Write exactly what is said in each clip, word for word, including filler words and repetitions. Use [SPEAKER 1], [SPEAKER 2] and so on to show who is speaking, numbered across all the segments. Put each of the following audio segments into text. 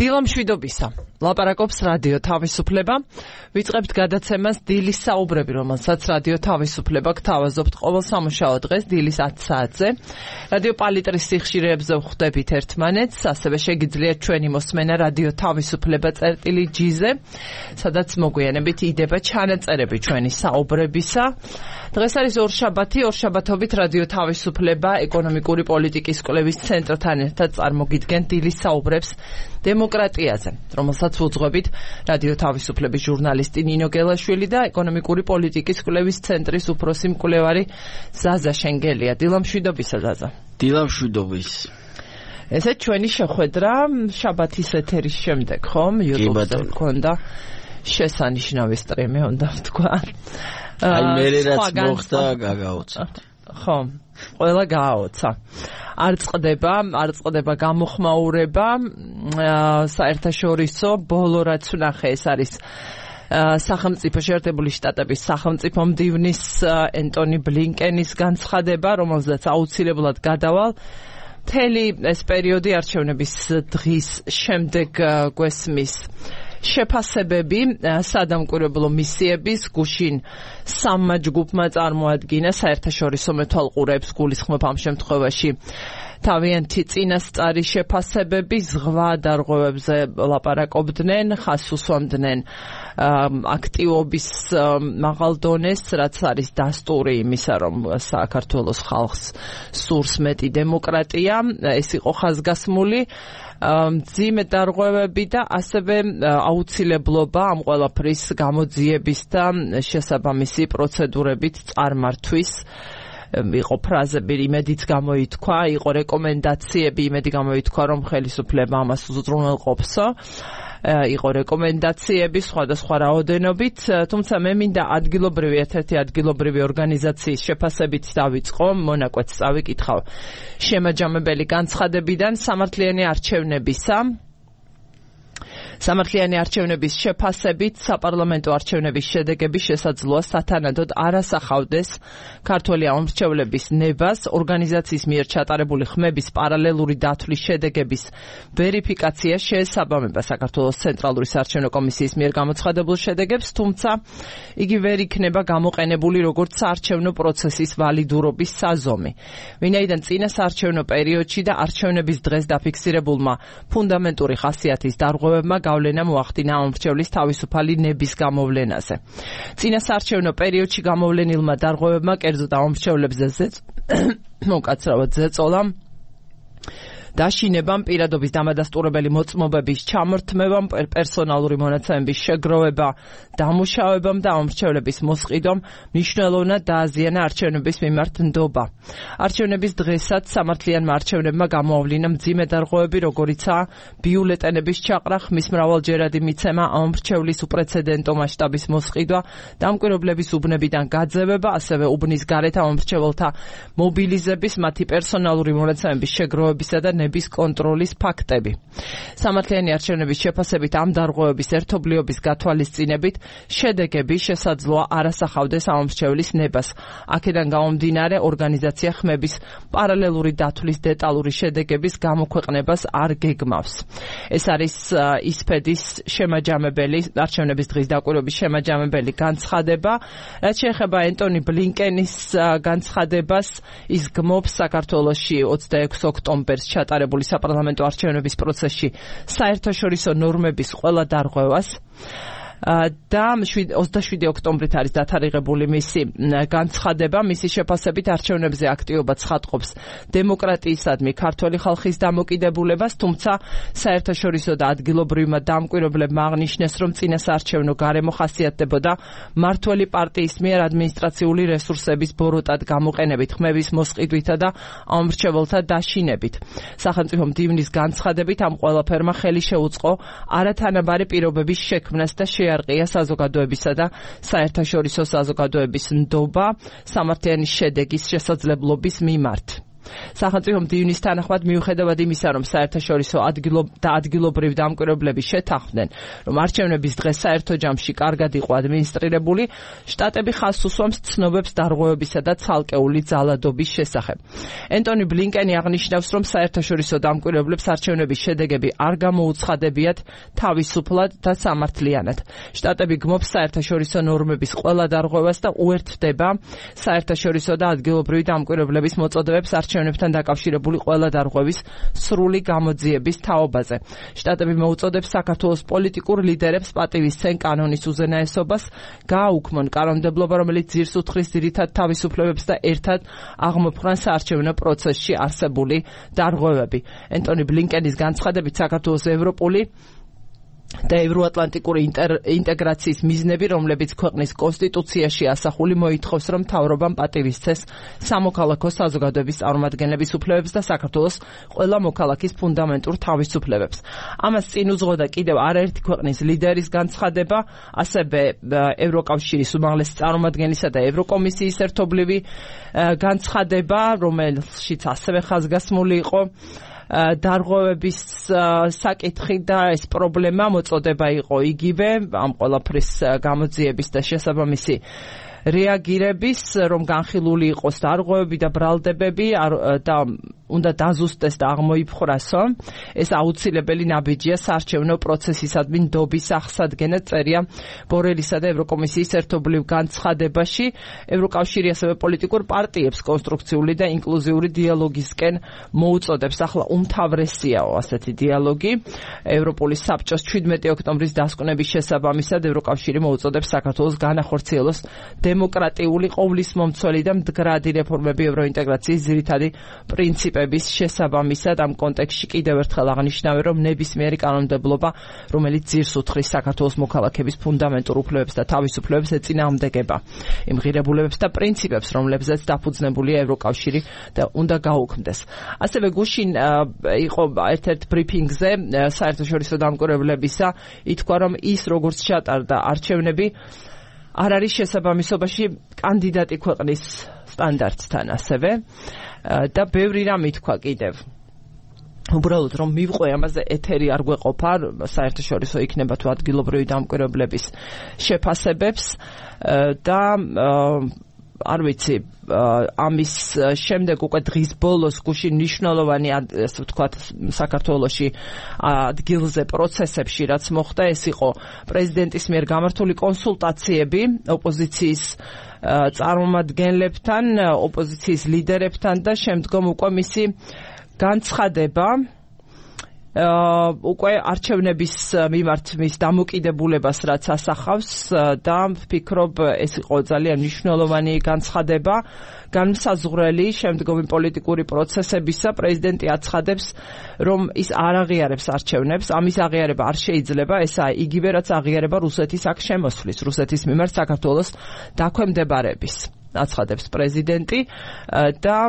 [SPEAKER 1] დილამშვიდობისა. ლაპარაკობს რადიო თავისუფლება. ვიწყებთ გადაცემას დილის საუბრები, რომელსაც რადიო თავისუფლება გთავაზობთ ყოველ სამუშაო დღეს დილის ათი საათზე. რადიო პალიტრის სიხშირეებზე ვხვდებით ერთმანეთს, ასევე შეგიძლიათ ჩვენი მოსმენა რადიო თავისუფლება წერტილი ჯი-ზე, სადაც მოგვიანებით იდება ჩანაწერები ჩვენი საუბრებისა. დღეს არის ორშაბათი, ორშაბათობით რადიო თავისუფლება ეკონომიკური პოლიტიკის კვლევის ცენტრთან ერთად წარმოგიდგენ დილის საუბრებს დემოკრატიაზე, რომელსაც უძღვებით რადიო თავისუფლების ჟურნალისტი ნინო გელაშვილი და ეკონომიკური პოლიტიკის კვლევის ცენტრის უფროსი მკვლევარი ზაზა შენგელია. დილამშვიდობისა ზაზა.
[SPEAKER 2] დილამშვიდობის.
[SPEAKER 1] ესე ჩვენი შეხვედრა შაბათის ეთერის შემდეგ, ხომ? YouTube-ზე გქონდა შესანიშნავი სტრიმი, უნდა ვთქვა.
[SPEAKER 2] აი მე რაც მოხდა გაგაოცეთ.
[SPEAKER 1] ხო, ყველა გააოცა. არ წყდება, არ წყდება გამოხმაურება, საერთაშორისო ბოლო რაც ვნახე ეს არის სახელმწიფო შეერთებული შტატების სახელმწიფო მდივნის ენტონი ბლინკენის განცხადება, რომელზეც აუცილებლად გადავალ. მთელი ეს პერიოდი არჩევნების დღის შემდეგ გვესმის შეფასებები სადამკვირვებლო მისიების გუშინ სამმა ჯგუფმა წარმოადგინა საერთაშორისო მეთვალყურეებს გულისხმობ ამ შემთხვევაში თავიანთი წინასწარი შეფასებები ზღვა დარღვევებზე ლაპარაკობდნენ, ხაზს უსვამდნენ აქტივობის მაღალ დონეს, რაც არის დასტური იმისა, რომ საქართველოს ხალხს სურს მეტი დემოკრატია, ეს იყო ხაზგასმული მძიმე დარღვევები და ასევე აუცილებლობა ამ ყველაფრის გამოძიების და შესაბამისი პროცედურებით წარმართვის. იყო ფრაზები, იმედიც გამოითქვა, იყო რეკომენდაციები, იმედი გამოითქვა, რომ ხელისუფლება ამას უზრუნველყოფსო. იყო რეკომენდაციები სხვადასხვა რაოდენობით, თუმცა მე მინდა ადგილობრივი ერთ-ერთი ადგილობრივი ორგანიზაციის შეფასებით დავიწყო, მონაკვეთს წავიკითხავ შემაჯამებელი განცხადებიდან სამართლიანი არჩევნებისა. სამართლიანი არჩევნების შეფასებით საპარლამენტო არჩევნების შედეგები შესაძლოა სათანადოდ არ ასახავდეს ქართველი ამომრჩევლების ნებას, ორგანიზაციის მიერ ჩატარებული ხმების პარალელური დათვლის შედეგების ვერიფიკაცია შეესაბამება საქართველოს ცენტრალური საარჩევნო კომისიის მიერ გამოცხადებულ შედეგებს, თუმცა იგი ვერ იქნება გამოყენებული როგორც საარჩევნო პროცესის ვალიდურობის საზომი. ვინაიდან წინა საარჩევნო პერიოდში და არჩევნების დღეს დაფიქსირებულმა ფუნდამენტური ხასიათის დარღვევებმა გავლენა მოახდინა ამომრჩევლის თავისუფალი ნების გამოვლენაზე. წინა საარჩევნო პერიოდში გამოვლენილმა დარღვევებმა კერძოდ ამომრჩევლებზე მოკაცრავად ზეწოლამ დაშინებამ, პირადობის დამადასტურებელი მოწმობების ჩამორთმევამ, პერსონალური მონაცემების შეგროვება, დამუშავებამ და ამომრჩევლების მოსყიდვამ მნიშვნელოვნად დააზიანა არჩევნების მიმართ ნდობა. არჩევნების დღესაც სამართლიანმა არჩევნებმა გამოავლინა მძიმე დარღვევები, როგორიცაა ბიულეტენების ჩაყრა, ხმის მრავალჯერადი მიცემა, ამომრჩევლის უპრეცედენტო მასშტაბის მოსყიდვა, დამკვირვებლების უბნებიდან გაძევება, ასევე უბნის გარეთ ამომრჩეველთა მობილიზების, მათი პერსონალური მონაცემების შეგროვებისა და ნების კონტროლის ფაქტები. სამართლიანი არჩევნების შეფასებით ამ დარღვევების ერთობლიობის გათვალისწინებით შედეგები შესაძლოა არ ასახავდეს ამომრჩევლის ნებას. აქედან გამომდინარე ორგანიზაცია ხმების პარალელური დათვლის დეტალური შედეგების გამოქვეყნებას არ გეგმავს. ეს არის ისფედის შემაჯამებელი, არჩევნების დღის დაკვირვების შემაჯამებელი განცხადება. რაც შეეხება ენტონი ბლინკენის განცხადებას, ის გმობს საქართველოში ოცდაექვსი ოქტომბერს ჩატარებული საპარლამენტო არჩევნების პროცესში საერთაშორისო ნორმების ყველა დარღვევას და ოცდაშვიდი ოქტომბრით არის დათარიღებული მისი განცხადება. მისი შეფასებით არჩევნებზე აქტივობა ცხადყოფს დემოკრატიისადმი ქართველი ხალხის დამოკიდებულებას, თუმცა საერთაშორისო და ადგილობრივმა დამკვირვებლებმა აღნიშნეს, რომ წინა საარჩევნო გარემო ხასიათდებოდა მმართველი პარტიის მიერ ადმინისტრაციული რესურსების ბოროტად გამოყენებით, ხმების მოსყიდვითა და ამომრჩეველთა დაშინებით. სახელმწიფო მდივნის განცხადებით ამ ყველაფერმა ხელი შეუწყო არათანაბარი პირობების შექმნას და შეარყია საზოგადოებისა და საერთაშორისო საზოგადოების ნდობა სამართლიანი შედეგის შესაძლებლობის მიმართ. სახელმწიფო მდივნის თანახმად მიუხედავად იმისა, რომ საერთაშორისო და ადგილობრივ დამკვირვებლები შეთანხმდნენ, რომ არჩევნების დღე საერთო ჯამში კარგად იყო ადმინისტრირებული, შტატები ხაზს უსვამს ცნობებს დარღვევებისა და ცალკეული ძალადობის შესახებ. ენტონი ბლინკენი აღნიშნავს, რომ საერთაშორისო დამკვირვებლებს არჩევნების შედეგები არ გამოუცხადებიათ თავისუფლად და სამართლიანად. შტატები გმობს საერთაშორისო ნორმების ყველა დარღვევას და უერთდება საერთაშორისო და ადგილობრივი დამკვირვებლების მოწოდებებს არჩევნებთან დაკავშირებული ყველა დარღვევის სრული გამოძიების თაობაზე. შტატები მოუწოდებს საქართველოს პოლიტიკურ ლიდერებს პატივისცენ კანონის უზენაესობას, გააუქმონ კანონმდებლობა, რომელიც ძირს უთხრის ძირითად თავისუფლებებს და ერთად აღმოფხვრან საარჩევნო პროცესში არსებული დარღვევები. ენტონი ბლინკენის განცხადებით საქართველოს ევროპული და ევროატლანტიკური ინტეგრაციის მიზნები, რომლებიც ქვეყნის კონსტიტუციაში ასახული, მოითხოვს, რომ მთავრობამ პატივისცეს სამოქალაქო საზოგადოების წარმომადგენლების უფლებებს და საქართველოს ყველა მოქალაქის ფუნდამენტურ თავისუფლებებს. ამას წინ უძღოდა კიდევ არაერთი ქვეყნის ლიდერის განცხადება, ასევე ევროკავშირის უმაღლესი წარმომადგენლისა და ევროკომისიის ერთობლივი განცხადება, რომელშიც ასევე ხაზგასმული იყო დარღვევების საკითხი და ეს პრობლემა მოწოდება იყო იგივე ამ ყველაფრის გამოძიების და შესაბამისი რეაგირების, რომ განხილული იყოს დარღვევები და ბრალდებები და უნდა დაზუსტდეს და აღმოიფხვრასო. ეს აუცილებელი ნაბიჯია საარჩევნო პროცესისადმი ნდობის აღსადგენად, წერია ბორელისა და ევროკომისიის ერთობლივ განცხადებაში. ევროკავშირი ასევე პოლიტიკურ პარტიებს კონსტრუქციული და ინკლუზიური დიალოგისკენ მოუწოდებს. ახლა უმთავრესიაო ასეთი დიალოგი. ევროპული საბჭოს შვიდმეტი ოქტომბრის დასკვნების შესაბამისად ევროკავშირი მოუწოდებს საქართველოს განახორციელოს დემოკრატიული ყოვლისმომცველი და მდგრადი რეფორმები ევროინტეგრაციის ძირითადი პრინციპების შესაბამისად. ამ კონტექსტში კიდევ ერთხელ აღნიშნავენ, რომ ნებისმიერი კანონმდებლობა, რომელიც ძირს უთხრის საქართველოს მოქალაქეების ფუნდამენტურ უფლებებს და თავისუფლებებს, ეწინააღმდეგება იმ ღირებულებებს და პრინციპებს, რომლებზეც დაფუძნებულია ევროკავშირი და უნდა გაუქმდეს. ასევე გუშინ იყო ერთ-ერთ ბრიფინგზე საერთაშორისო დამკვირვებლებისა, ითქვა, რომ ის როგორც ჩატარდა არჩევნები არ არის შესაბამისობაში კანდიდატი ქვეყნის სტანდარტთან ასევე და ბევრი რამ ითქვა კიდევ. უბრალოდ რომ მივყვე ამაზე ეთერი არ გვეყოფა, საერთაშორისო იქნება თუ ადგილობრივი დამკვირვებლების შეფასებებს და არ ვიცი, ამის შემდეგ უკვე დღის ბოლოს გუშინ მნიშვნელოვანი, ასე ვთქვათ, საქართველოში ადგილზე პროცესებში რაც მოხდა, ეს იყო პრეზიდენტის მიერ გამართული კონსულტაციები ოპოზიციის წარმომადგენლებთან, ოპოზიციის ლიდერებთან და შემდგომ უკვე მისი განცხადება უკვე არჩევნების მიმართ მის დამოკიდებულებას რაც ასახავს და ვფიქრობ ეს იყო ძალიან მნიშვნელოვანი განცხადება, განმსაზღვრელი შემდგომი პოლიტიკური პროცესებისა. პრეზიდენტი აცხადებს, რომ ის არ აღიარებს არჩევნებს, ამის აღიარება არ შეიძლება, ესაა იგივე რაც აღიარება რუსეთის აქ შემოსვლის, რუსეთის მიმართ საქართველოს დაქვემდებარების, აცხადებს პრეზიდენტი და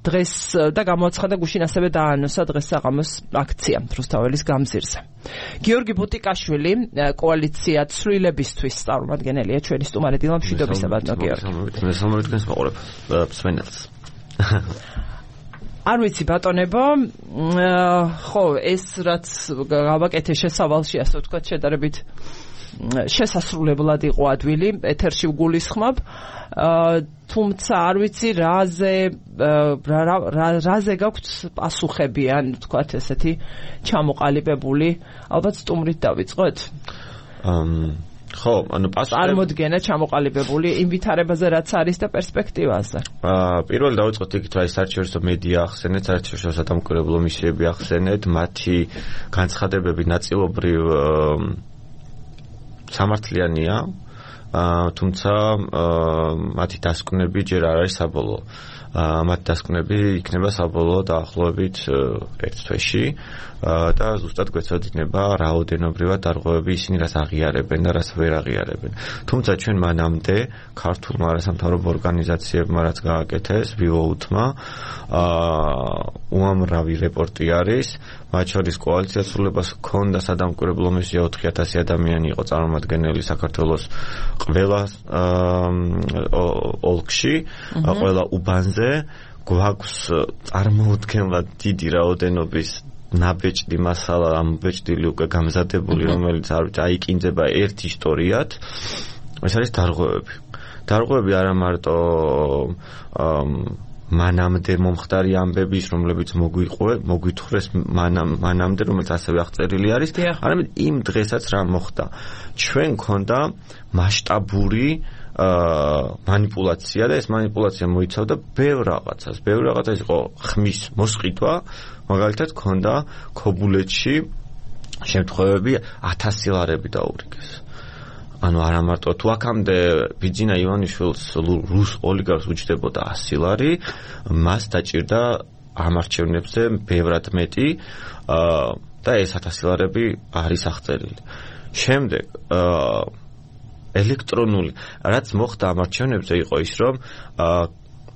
[SPEAKER 1] დღეს და გამოაცხადა გუშინ ასევე დაანონსა დღეს საღამოს აქცია რუსთაველის გამზირზე. გიორგი ბუტიკაშვილი, კოალიცია ცვლილებისთვის წარმომადგენელია ჩვენი სტუმარი დილა მშვიდობისა ბატონო გიორგი.
[SPEAKER 2] მე სამომავლოდ თქვენს მაყურებ მსმენელს.
[SPEAKER 1] არ ვიცი ბატონებო, ხო, ეს რაც გავაკეთე შესავალში, ასე ვთქვათ, შედარებით შესასრულებლად იყო ადვილი, ეთერში ვგულისხმობ, თუმცა არ ვიცი რაზე რაზე გაქვთ პასუხები, ან ვთქვათ ესეთი ჩამოყალიბებული, ალბათ სტუმრით დავიწყოთ?
[SPEAKER 2] ხო, ანუ პასუხები
[SPEAKER 1] წარმოდგენა ჩამოყალიბებული იმ ვითარებაზე რაც არის და პერსპექტივაზე.
[SPEAKER 2] აა პირველი დავიწყოთ იქით, რა საერთაშორისო მედია ახსენეთ, საერთაშორისო სადამკვირვებლო მისიები ახსენეთ, მათი განცხადებები ნაწილობრივ სამართლიანია, თუმცა მათი დასკვნები ჯერ არ არის საბოლოო. მათი დასკვნები იქნება საბოლოო დაახლოებით ერთ თვეში და ზუსტად გვეცოდინება რაოდენობრივად დარღვევები ისინი რაც აღიარებენ და რაც ვერ აღიარებენ. თუმცა ჩვენ მანამდე ქართულმა არასამთავრობო ორგანიზაციებმა რაც გააკეთეს, ვივოუთმა უამრავი რეპორტი არის, მათ შორის კოალიცია ცვლილებას ჰქონდა სადამკვირვებლო მისია ოთხი ათასი ადამიანი იყო წარმომადგენელი საქართველოს ყველა ოლქში, ყველა უბანზე მერე გვაქვს წარმოუდგენლად დიდი რაოდენობის ნაბეჭდი მასალა, ამბეჭდილი უკვე გამზადებული, რომელიც არ ვიცი, აიკინძება ერთ ისტორიად. ეს არის დარღვევები. დარღვევები არა მარტო მანამდე მომხდარი ამბების, რომლებიც მოგვიყვე, მოგვითხრეს მანამდე, რომელიც ასევე აღწერილი არის, არამედ იმ დღესაც რა მოხდა. ჩვენ გქონდა მასშტაბური манипуляция და ეს манипуляция მოიცავდა ბევრ რაღაცას. ბევრ რაღაცას იყო ხმის მოსყიდვა, მაგალითად გქონდა ქობულეთში შემთხვევები ათასი ლარები დაურიგეს. ანუ არა მარტო თუ აქამდე ბიძინა ივანიშვილს რუს ოლიგარქს უჯდებოდა ასი ლარი, მას დაჭირდა ამ არჩევნებზე ბევრად მეტი და ეს ათასი ლარები არის აღწერილი. შემდეგ ელექტრონული, რაც მოხდა ამ არჩევნებზე იყო ის, რომ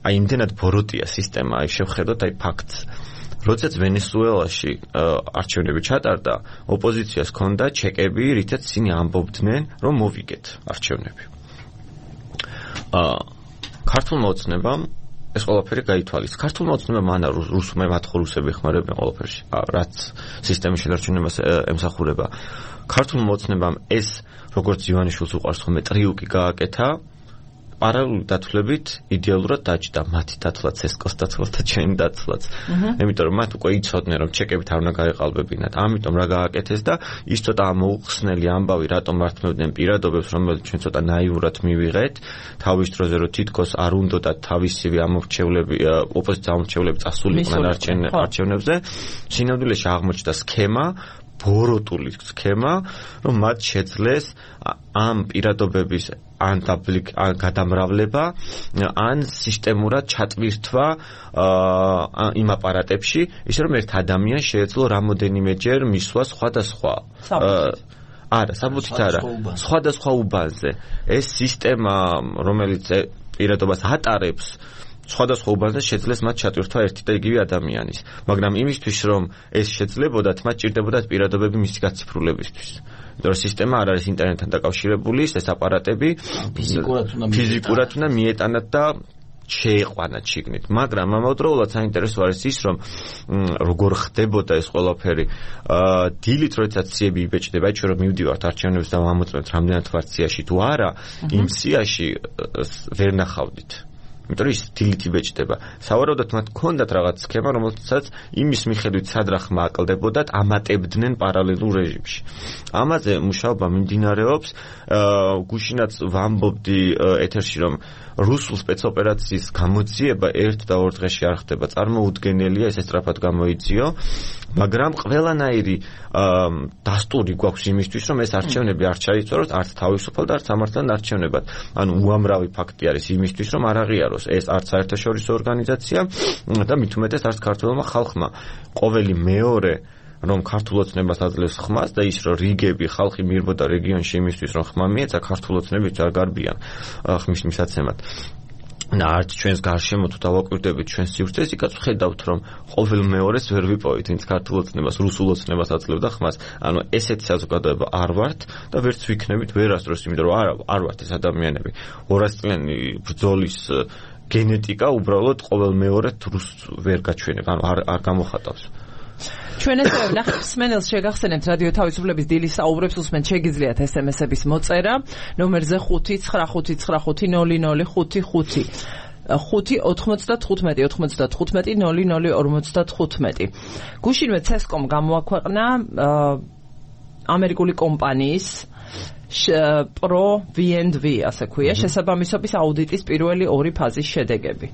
[SPEAKER 2] აი იმდენად ბოროტია სისტემა, აი შევხედოთ აი ფაქტს. როდესაც ვენესუელაში არჩევნები ჩატარდა, ოპოზიციას ჰქონდა ჩეკები, რითაც ისინი ამბობდნენ, რომ მოვიგეთ არჩევნები. ქართულმა ოცნებამ ეს ყველაფერი გაითვალის. ქართულმა ოცნებამ ანა რუსულმა მათხრუსები ხმარებენ ყველაფერში, რაც სისტემის შედარჩენებას ემსახურება. ქართულმა ოცნებამ ეს როგორც ივანიშვილს უყვარს ხოლმე ტრიუკი გააკეთა, პარალელური დათვლებით იდეალურად დაჭდა მათი დათვლაც, ესკოს დათვლაც და ჩემი დათვლაც. იმიტომ რომ მათ უკვე იცოდნენ რომ ჩეკებით არ უნდა გაეყალბებინათ. ამიტომ რა გააკეთეს და ის ცოტა მოუხსნელი ამბავი რატომ მართმევდნენ პირადობებს, რომელიც ჩვენ ცოტა ნაიურად მივიღეთ, თავის დროზე რომ თითქოს არ უნდათ თავისივე ამორჩევლები, ოპოზიციის ამორჩევლები წასულიყვნენ არჩევნებზე, სინამდვილეში აღმოჩნდა სქემა, ბოროტული სქემა, რომ მათ შეძლეს ამ პირადობების ან ან გადამრავლება, ან სისტემურად ჩატვირთვა იმ აპარატებში, ისე რომ ერთ ადამიანს შეეძლო რამოდენიმეჯერ მისვლა სხვადასხვა არა, საბუთით არა, სხვადასხვა უბანზე. ეს სისტემა, რომელიც პირადობას ატარებს, სხვადასხვა უბანზე შეძლეს მათ ჩატვირთვა ერთი და იგივე ადამიანის. მაგრამ იმისთვის, რომ ეს შეძლებოდათ, მათ ჭირდებოდათ პირადობები მისი გაციფრულებისთვის. იმიტომ რომ სისტემა არ არის ინტერნეტთან დაკავშირებული, ეს აპარატები ფიზიკურად უნდა მიეტანათ და შეეყვანათ შიგნით. მაგრამ ამავდროულად საინტერესო არის ის, რომ როგორ ხდებოდა ეს ყველაფერი. დილით როდესაც სიები იბეჭდება, აი ჩვენ რომ მივდივართ არჩევნებს და ვამოწმებთ რამდენად ვართ სიაში თუ არა, იმ სიაში ვერ ნახავდით. იმიტომ რომ ის დილით იბეჭდება. სავარაუდოდ მათ ჰქონდათ რაღაც სქემა, რომელსაც იმის მიხედვით სად რა ხმა აკლდებოდათ, ამატებდნენ პარალელურ რეჟიმში. ამაზე მუშაობა მიმდინარეობს. გუშინაც ვამბობდი ეთერში, რომ რუსულ სპეცოპერაციის გამოძიება ერთ და ორ დღეში არ ხდება. წარმოუდგენელია, ეს სწრაფად გამოიძიო, მაგრამ ყველანაირი დასტური გვაქვს იმისთვის, რომ ეს არჩევნები არ ჩაიწეროს არც თავისუფალ და არც სამართლიან არჩევნებად. ანუ უამრავი ფაქტი არის იმისთვის, რომ არ აღიაროს ეს არც საერთაშორისო ორგანიზაცია და მით უმეტეს არც ქართველმა ხალხმა. ყოველი მეორე რომ ქართულ ოცნებას აძლევს ხმას და ის რომ რიგები ხალხი მიირბოდა რეგიონში იმისთვის რომ ხმა მიეცა ქართულ ოცნებით არ გარბიან ხმის მისაცემად. და არც ჩვენს გარშემო თუ დავაკვირდებით ჩვენს სივრცეს, იქაც ვხედავთ რომ ყოველ მეორეს ვერ ვიპოვით ვინც ქართულ ოცნებას, რუსულ ოცნებას აძლევდა ხმას. ანუ ესეთი საზოგადოება არ ვართ და ვერც ვიქნებით ვერასდროს, იმიტომ რომ არ არ ვართ ეს ადამიანები. ორასწლიანი ბრძოლის გენეტიკა უბრალოდ ყოველ მეორედ რუსს ვერ გაჩვენებ, ანუ არ არ გამოხატავს.
[SPEAKER 1] ჩვენ ესე ვნახეთ სმენელს შეგახსენებთ რადიო თავისუფლების დილის საუბრებს უსმენთ, შეგიძლიათ ესემესების მოწერა ნომერზე ხუთი ცხრა ხუთი ცხრა ხუთი ნული ნული ხუთი ხუთი ხუთი ოთხმოცდათხუთმეტი ოთხმოცდათხუთმეტი ნული ნული ორმოცდათხუთმეტი. გუშინვე ცესკომ გამოაქვეყნა ამერიკული კომპანიის პრო ვი ენდ ვი ასე ქვია შესაბამისობის აუდიტის პირველი ორი ფაზის შედეგები.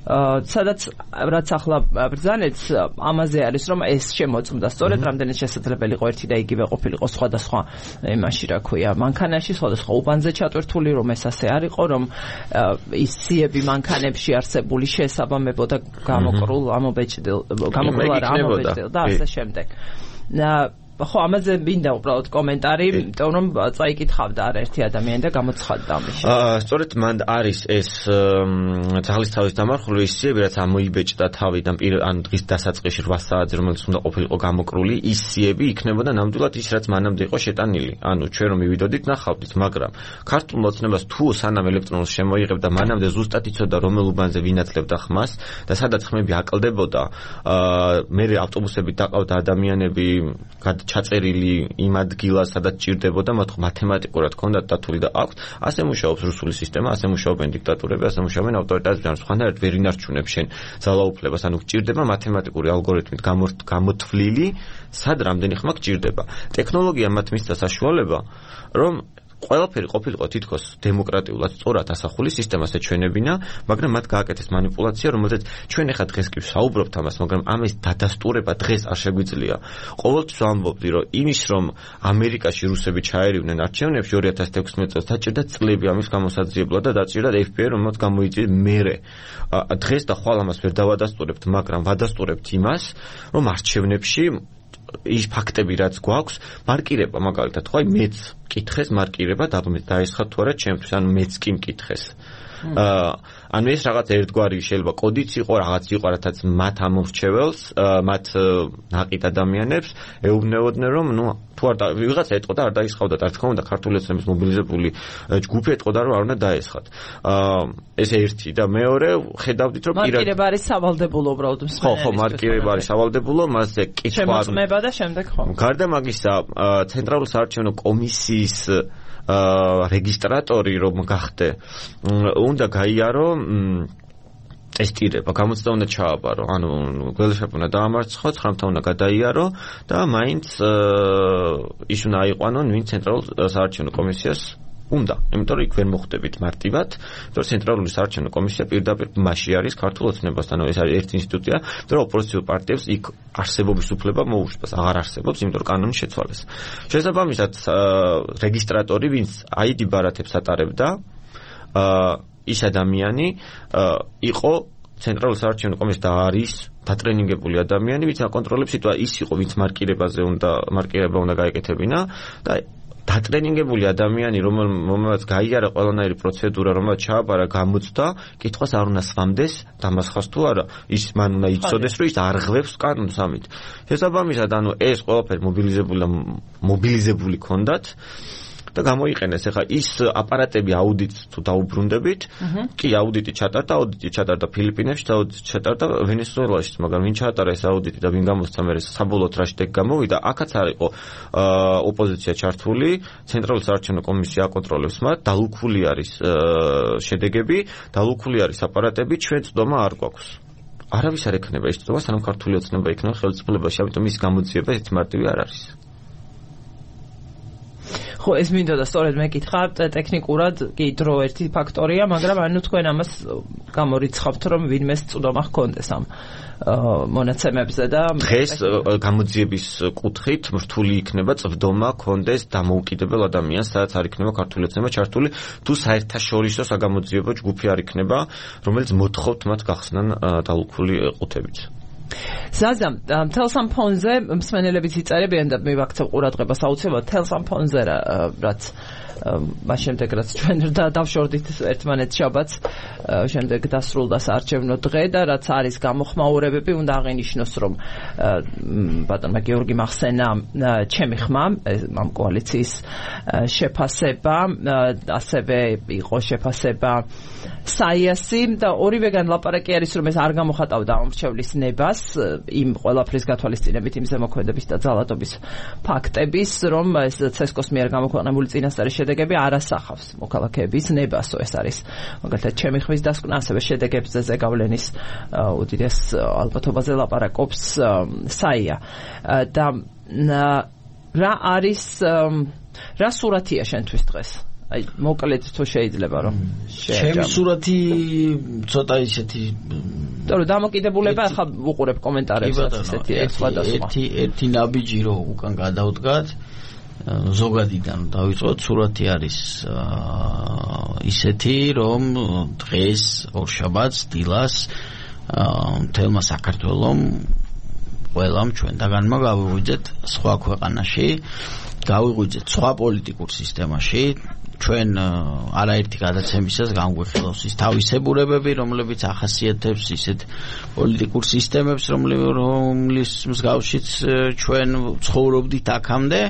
[SPEAKER 1] სადაც რაც ახლა ბრძანეთს ამაზე არის, რომ ეს შემოწმდა სწორედ რამდენიც შესაძლებელი იყო ერთი და იგივე ყოფილიყო სხვადასხვა იმაში რა ქვია მანქანაში, სხვადასხვა უბანზე ჩატვირთული, რომ ეს ასე არ იყო, რომ ის სიები მანქანებში არსებული შესაბამებოდა გამოკრულ ამობეჭდილ გამოკრულ არა ამობეჭდილ და ასე შემდეგ. ხო, ამაზე მინდა უბრალოდ კომენტარი, იმიტომ რომ წაიკითხავდა არაერთი ადამიანი და გამოცხადდა ამის.
[SPEAKER 2] აა, სწორედ მან არის ეს ძალისთავის დამარხული ის სიები, რაც ამოიბეჭდა თავიდან ან დღის დასაწყისში რვა საათზე, რომელიც უნდა ყოფილიყო გამოკრული, ის სიები იქნებოდა ნამდვილად ის, რაც მანამდე იყო შეტანილი. ანუ ჩვენ რომ მივიდოდით, ნახავდით, მაგრამ ქართულ მოცნებას თუ სანამ ელექტრონულს შემოიღებდა, მანამდე ზუსტად იცოდა რომელ უბანზე ვინაცლებდა ხმას და სადაც ხმები აკლდებოდა, აა მე ავტობუსებით დაყავდა ადამიანები ჩაწერილი იმ ადგილას, სადაც ჭირდებოდა, მათ მათემატიკურად ჰქონდათ დათვლილი და აქვთ. ასე მუშაობს რუსული სისტემა, ასე მუშაობენ დიქტატურები, ასე მუშაობენ ავტორიტარიზმი, ანუ სხვანაირად ვერ ინარჩუნებს შენ ძალაუფლებას, ანუ გჭირდება მათემატიკური ალგორითმით გამოთვლილი, სად რამდენი ხმა გჭირდება. ტექნოლოგია მათ მისცა საშუალება, რომ ყველაფერი ყოფილიყო თითქოს დემოკრატიულად სწორად ასახული სისტემას ეჩვენებინა, მაგრამ მათ გააკეთეს манипуляცია, რომელზეც ჩვენ ახლა დღეს კი ვსაუბრობთ ამას, მაგრამ ამის დადასტურება დღეს არ შეგვიძლია. ყოველთვის ვამბობდი, რომ იმის რომ ამერიკაში რუსები ჩაერივნენ არჩევნებში ორი ათას თექვსმეტ წელს დაჭირდა წლები ამის გამოსაძიებლად და დაჭირდა ეფ ბი აი, რომელსაც გამოიწვია მერე. დღეს და ხვალ ამას ვერ დავადასტურებთ, მაგრამ ვადასტურებთ იმას, რომ არჩევნებში ის ფაქტები რაც გვაქვს, მარკირება მაგალითად, ხო, აი მეც მკითხეს მარკირება და დაესხა თუ არა ჩემთვის, ანუ მეც კი მკითხეს. აა ანუ ეს რაღაც ერთგვარი შეიძლება კოდიც იყო, რაღაც იყო, რათაც მათ ამორჩეველს, მათ ნაყიდ ადამიანებს ეუბნებოდნენ, რომ ნუ თუ არ ვიღაცა ეტყოდა და არ დაისხავდა, რა თქმა უნდა, ქართული ოცნების მობილიზებული ჯგუფი ეტყოდა, რომ არ უნდა დაესხათ. აა ეს ერთი და მეორე ხედავდით, რომ
[SPEAKER 1] მარკირება არის სავალდებულო უბრალოდ მსმენელის.
[SPEAKER 2] ხო, ხო, მარკირება არის სავალდებულო, მასზე კითხვა არ
[SPEAKER 1] შემოწმება და შემდეგ ხო.
[SPEAKER 2] გარდა მაგისა, ცენტრალური საარჩევნო კომისიის აა რეგისტრატორი რომ გახდე, უნდა გაიარო ტესტირება, გამოცდა უნდა ჩააბარო, ანუ გველეშაპი უნდა დაამარცხო, ცხრამთა უნდა გადაიარო და მაინც ის უნდა აიყვანონ ვინ ცენტრალურ საარჩევნო კომისიას უნდა, იმიტომ რომ იქ ვერ მოხვდებით მარტივად, იმიტომ რომ ცენტრალური საარჩევნო კომისია პირდაპირ მასში არის ქართულ ოცნებასთან, ეს არის ერთი ინსტიტუცია, იმიტომ რომ ოპოზიციურ პარტიებს იქ არსებობის უფლება მოუშვას, აღარ არსებობს, იმიტომ რომ კანონი შეცვალეს. შესაბამისად, რეგისტრატორი, ვინც აიდი ბარათებს ატარებდა, ის ადამიანი იყო ცენტრალურ საარჩევნო კომისიაში და არის დატრენინგებული ადამიანი, ვინც აკონტროლებს სიტუაციას, ის იყო, ვინც მარკირებაზე უნდა მარკირება უნდა გაეკეთებინა და დატრენინგებული ადამიანი, რომელმაც გაიარა ყველანაირი პროცედურა, რომელმაც ჩააბარა, გამოცდა, კითხვას არ უნდა სვამდეს, დამასხას თუ არა, ის მან უნდა იცოდეს, რომ ის არ ღვევს კანონს ამით. შესაბამისად, ანუ ეს ყველაფერი მობილიზებული და მობილიზებული ქონდათ და გამოიყენეს. ეხლა ის აპარატები აუდიტს თუ დაუბრუნდებით, კი აუდიტი ჩატარდა, აუდიტი ჩატარდა ფილიპინებში, აუდიტი ჩატარდა ვენესუელაში, მაგრამ ვინ ჩაატარა ეს აუდიტი და ვინ გამოსცა მე საბოლოოდ რა შედეგი გამოვიდა, აქაც არ იყო ოპოზიცია ჩართული, ცენტრალური საარჩევნო კომისია აკონტროლებს მათ, დალუქული არის შედეგები, დალუქული არის აპარატები, ჩვენ წვდომა არ გვაქვს. არავის არ ექნება ის წვდომა, სანამ ქართული ოცნება იქნება ხელისუფლებაში, ამიტომ ის გამოძიება ეს მარტივი არ არის.
[SPEAKER 1] ხო, ეს მინდოდა სწორედ მეკითხა, ტექნიკურად კი დრო ერთი ფაქტორია, მაგრამ ანუ თქვენ ამას გამორიცხავთ, რომ ვინმეს წვდომა ჰქონდეს ამ მონაცემებზე და
[SPEAKER 2] დღეს გამოძიების კუთხით რთული იქნება წვდომა ჰქონდეს დამოუკიდებელ ადამიანს, სადაც არ იქნება ქართული ოცნება ჩართული, თუ საერთაშორისო საგამოძიებო ჯგუფი არ იქნება, რომელიც მოთხოვთ მათ გახსნან დალუქული ყუთებით.
[SPEAKER 1] ზაზა, მთელს ამ ფონზე მსმენელებიც იწერებიან და მივაქცევ ყურადღებას აუცილებლად მთელს ამ ფონზე რაც მას შემდეგ რაც ჩვენ დავშორდით ერთმანეთს შაბათს, შემდეგ დასრულდა საარჩევნო დღე და რაც არის გამოხმაურებები, უნდა აღინიშნოს, რომ ბატონმა გიორგი მახსენა ჩემი ხმა ამ კოალიციის შეფასება, ასევე იყო შეფასება საიასი და ორივეგან ლაპარაკი არის, რომ ეს არ გამოხატავდა ამრჩევლის ნებას იმ ყველაფრის გათვალისწინებით, იმ ზემოქმედების და ძალადობის ფაქტების, რომ ეს ცესკოს მიერ გამოქვეყნებული წინასწარი შედეგები არ ასახავს მოქალაქეების ნებასო. ეს არის მაგალითად ჩემი ხმის დასკვნა, ასევე შედეგებზე ზეგავლენის უდიდეს ალბათობაზე ლაპარაკობს საია. და რა არის რა სურათია შენთვის დღეს? აი მოკლედ თუ შეიძლება რომ
[SPEAKER 3] ჩემი სურათი ცოტა ისეთი
[SPEAKER 1] თორე დამოკიდებულება ახლა ვუყურებ კომენტარებსაც ისეთი სხვადასხვა
[SPEAKER 3] ერთი ერთი ნაბიჯი რო უკან გადავდგათ ზოგადიდან დავიწყოთ სურათი არის ისეთი რომ დღეს ორშაბათს დილას მთელმა საქართველომ ყველამ ჩვენთაგანმა გავიღვიძეთ სხვა ქვეყანაში, გავიღვიძეთ სხვა პოლიტიკურ სისტემაში. ჩვენ არაერთი გადაცემისას განგვიხილავს ის თავისებურებები, რომლებიც ახასიათებს ისეთ პოლიტიკურ სისტემებს, რომლის მსგავშიც ჩვენ ცხოვრობდით აქამდე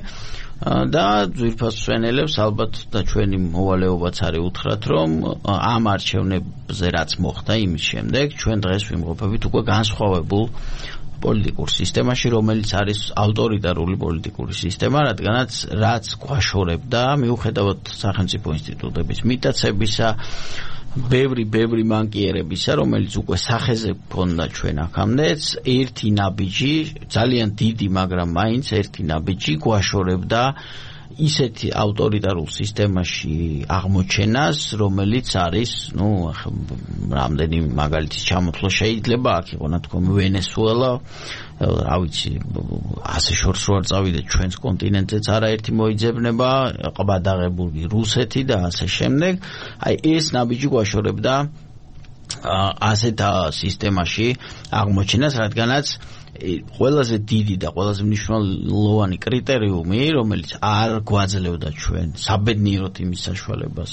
[SPEAKER 3] და ძვირფას მსვენელებს ალბათ და ჩვენი მოვალეობაც არის უთხრათ, რომ ამ არჩევნებზე რაც მოხდა იმის შემდეგ ჩვენ დღეს ვიმყოფებით უკვე განსხვავებულ პოლიტიკურ სისტემაში, რომელიც არის ავტორიტარული პოლიტიკური სისტემა, რადგანაც რაც გვაშორებდა, მიუხედავად სახელმწიფო ინსტიტუტების მიტაცებისა, ბევრი ბევრი მანკიერებისა, რომელიც უკვე სახეზე გქონდა ჩვენ აქამდეც, ერთი ნაბიჯი, ძალიან დიდი, მაგრამ მაინც ერთი ნაბიჯი გვაშორებდა ისეთი ავტორიტარულ სისტემაში აღმოჩენას, რომელიც არის, ну, რამდენი მაგალითის ჩამოთვლა შეიძლება, აქ იყო ნათქვამი ვენესუელა, რა ვიცი, ასე შორს რო არ წავიდეთ ჩვენს კონტინენტზეც არაერთი მოიძებნება, ყბადაღებული რუსეთი და ასე შემდეგ. აი ეს ნაბიჯი გვაშორებდა ასეთ სისტემაში აღმოჩენას, რადგანაც ყველაზე დიდი და ყველაზე მნიშვნელოვანი კრიტერიუმი, რომელიც არ გვაძლევდა ჩვენ საბედნიეროდ იმის საშუალებას,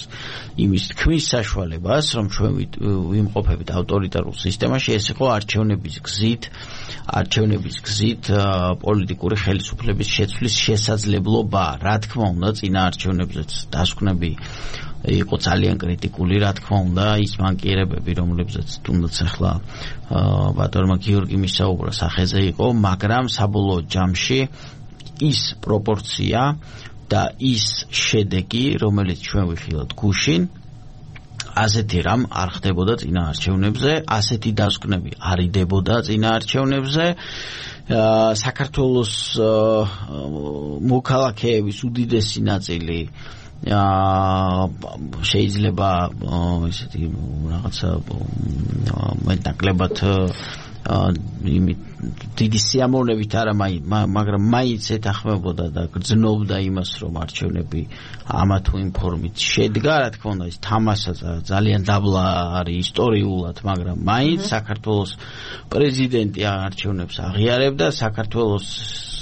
[SPEAKER 3] იმის თქმის საშუალებას, რომ ჩვენ ვიმყოფებით ავტორიტარულ სისტემაში, ეს იყო არჩევნების გზით, არჩევნების გზით პოლიტიკური ხელისუფლების შეცვლის შესაძლებლობა. რა თქმა უნდა, წინა არჩევნებზეც დასკვნები იყო ძალიან კრიტიკული, რა თქმა უნდა, ის მანკიერებები, რომლებზეც თუნდაც ახლა ბატონმა გიორგი მისაუბრა სახეზე იყო, მაგრამ საბოლოო ჯამში ის პროპორცია და ის შედეგი, რომელიც ჩვენ ვიხილავთ გუშინ, ასეთი რამ არ ხდებოდა წინა არჩევნებზე, ასეთი დასკვნები არ იდებოდა წინა არჩევნებზე. საქართველოს მოქალაქეების უდიდესი ნაწილი შეიძლება ისეთი რაღაცა მეტნაკლებად იმით დიდი სიამოვნებით არა, მაგრამ მაინც ეთანხმებოდა და გრძნობდა იმას, რომ არჩევნები ამა თუ იმ ფორმით შედგა. რა თქმა უნდა, ის თამაშა ძალიან დაბლა არის ისტორიულად, მაგრამ მაინც საქართველოს პრეზიდენტი არჩევნებს აღიარებდა, საქართველოს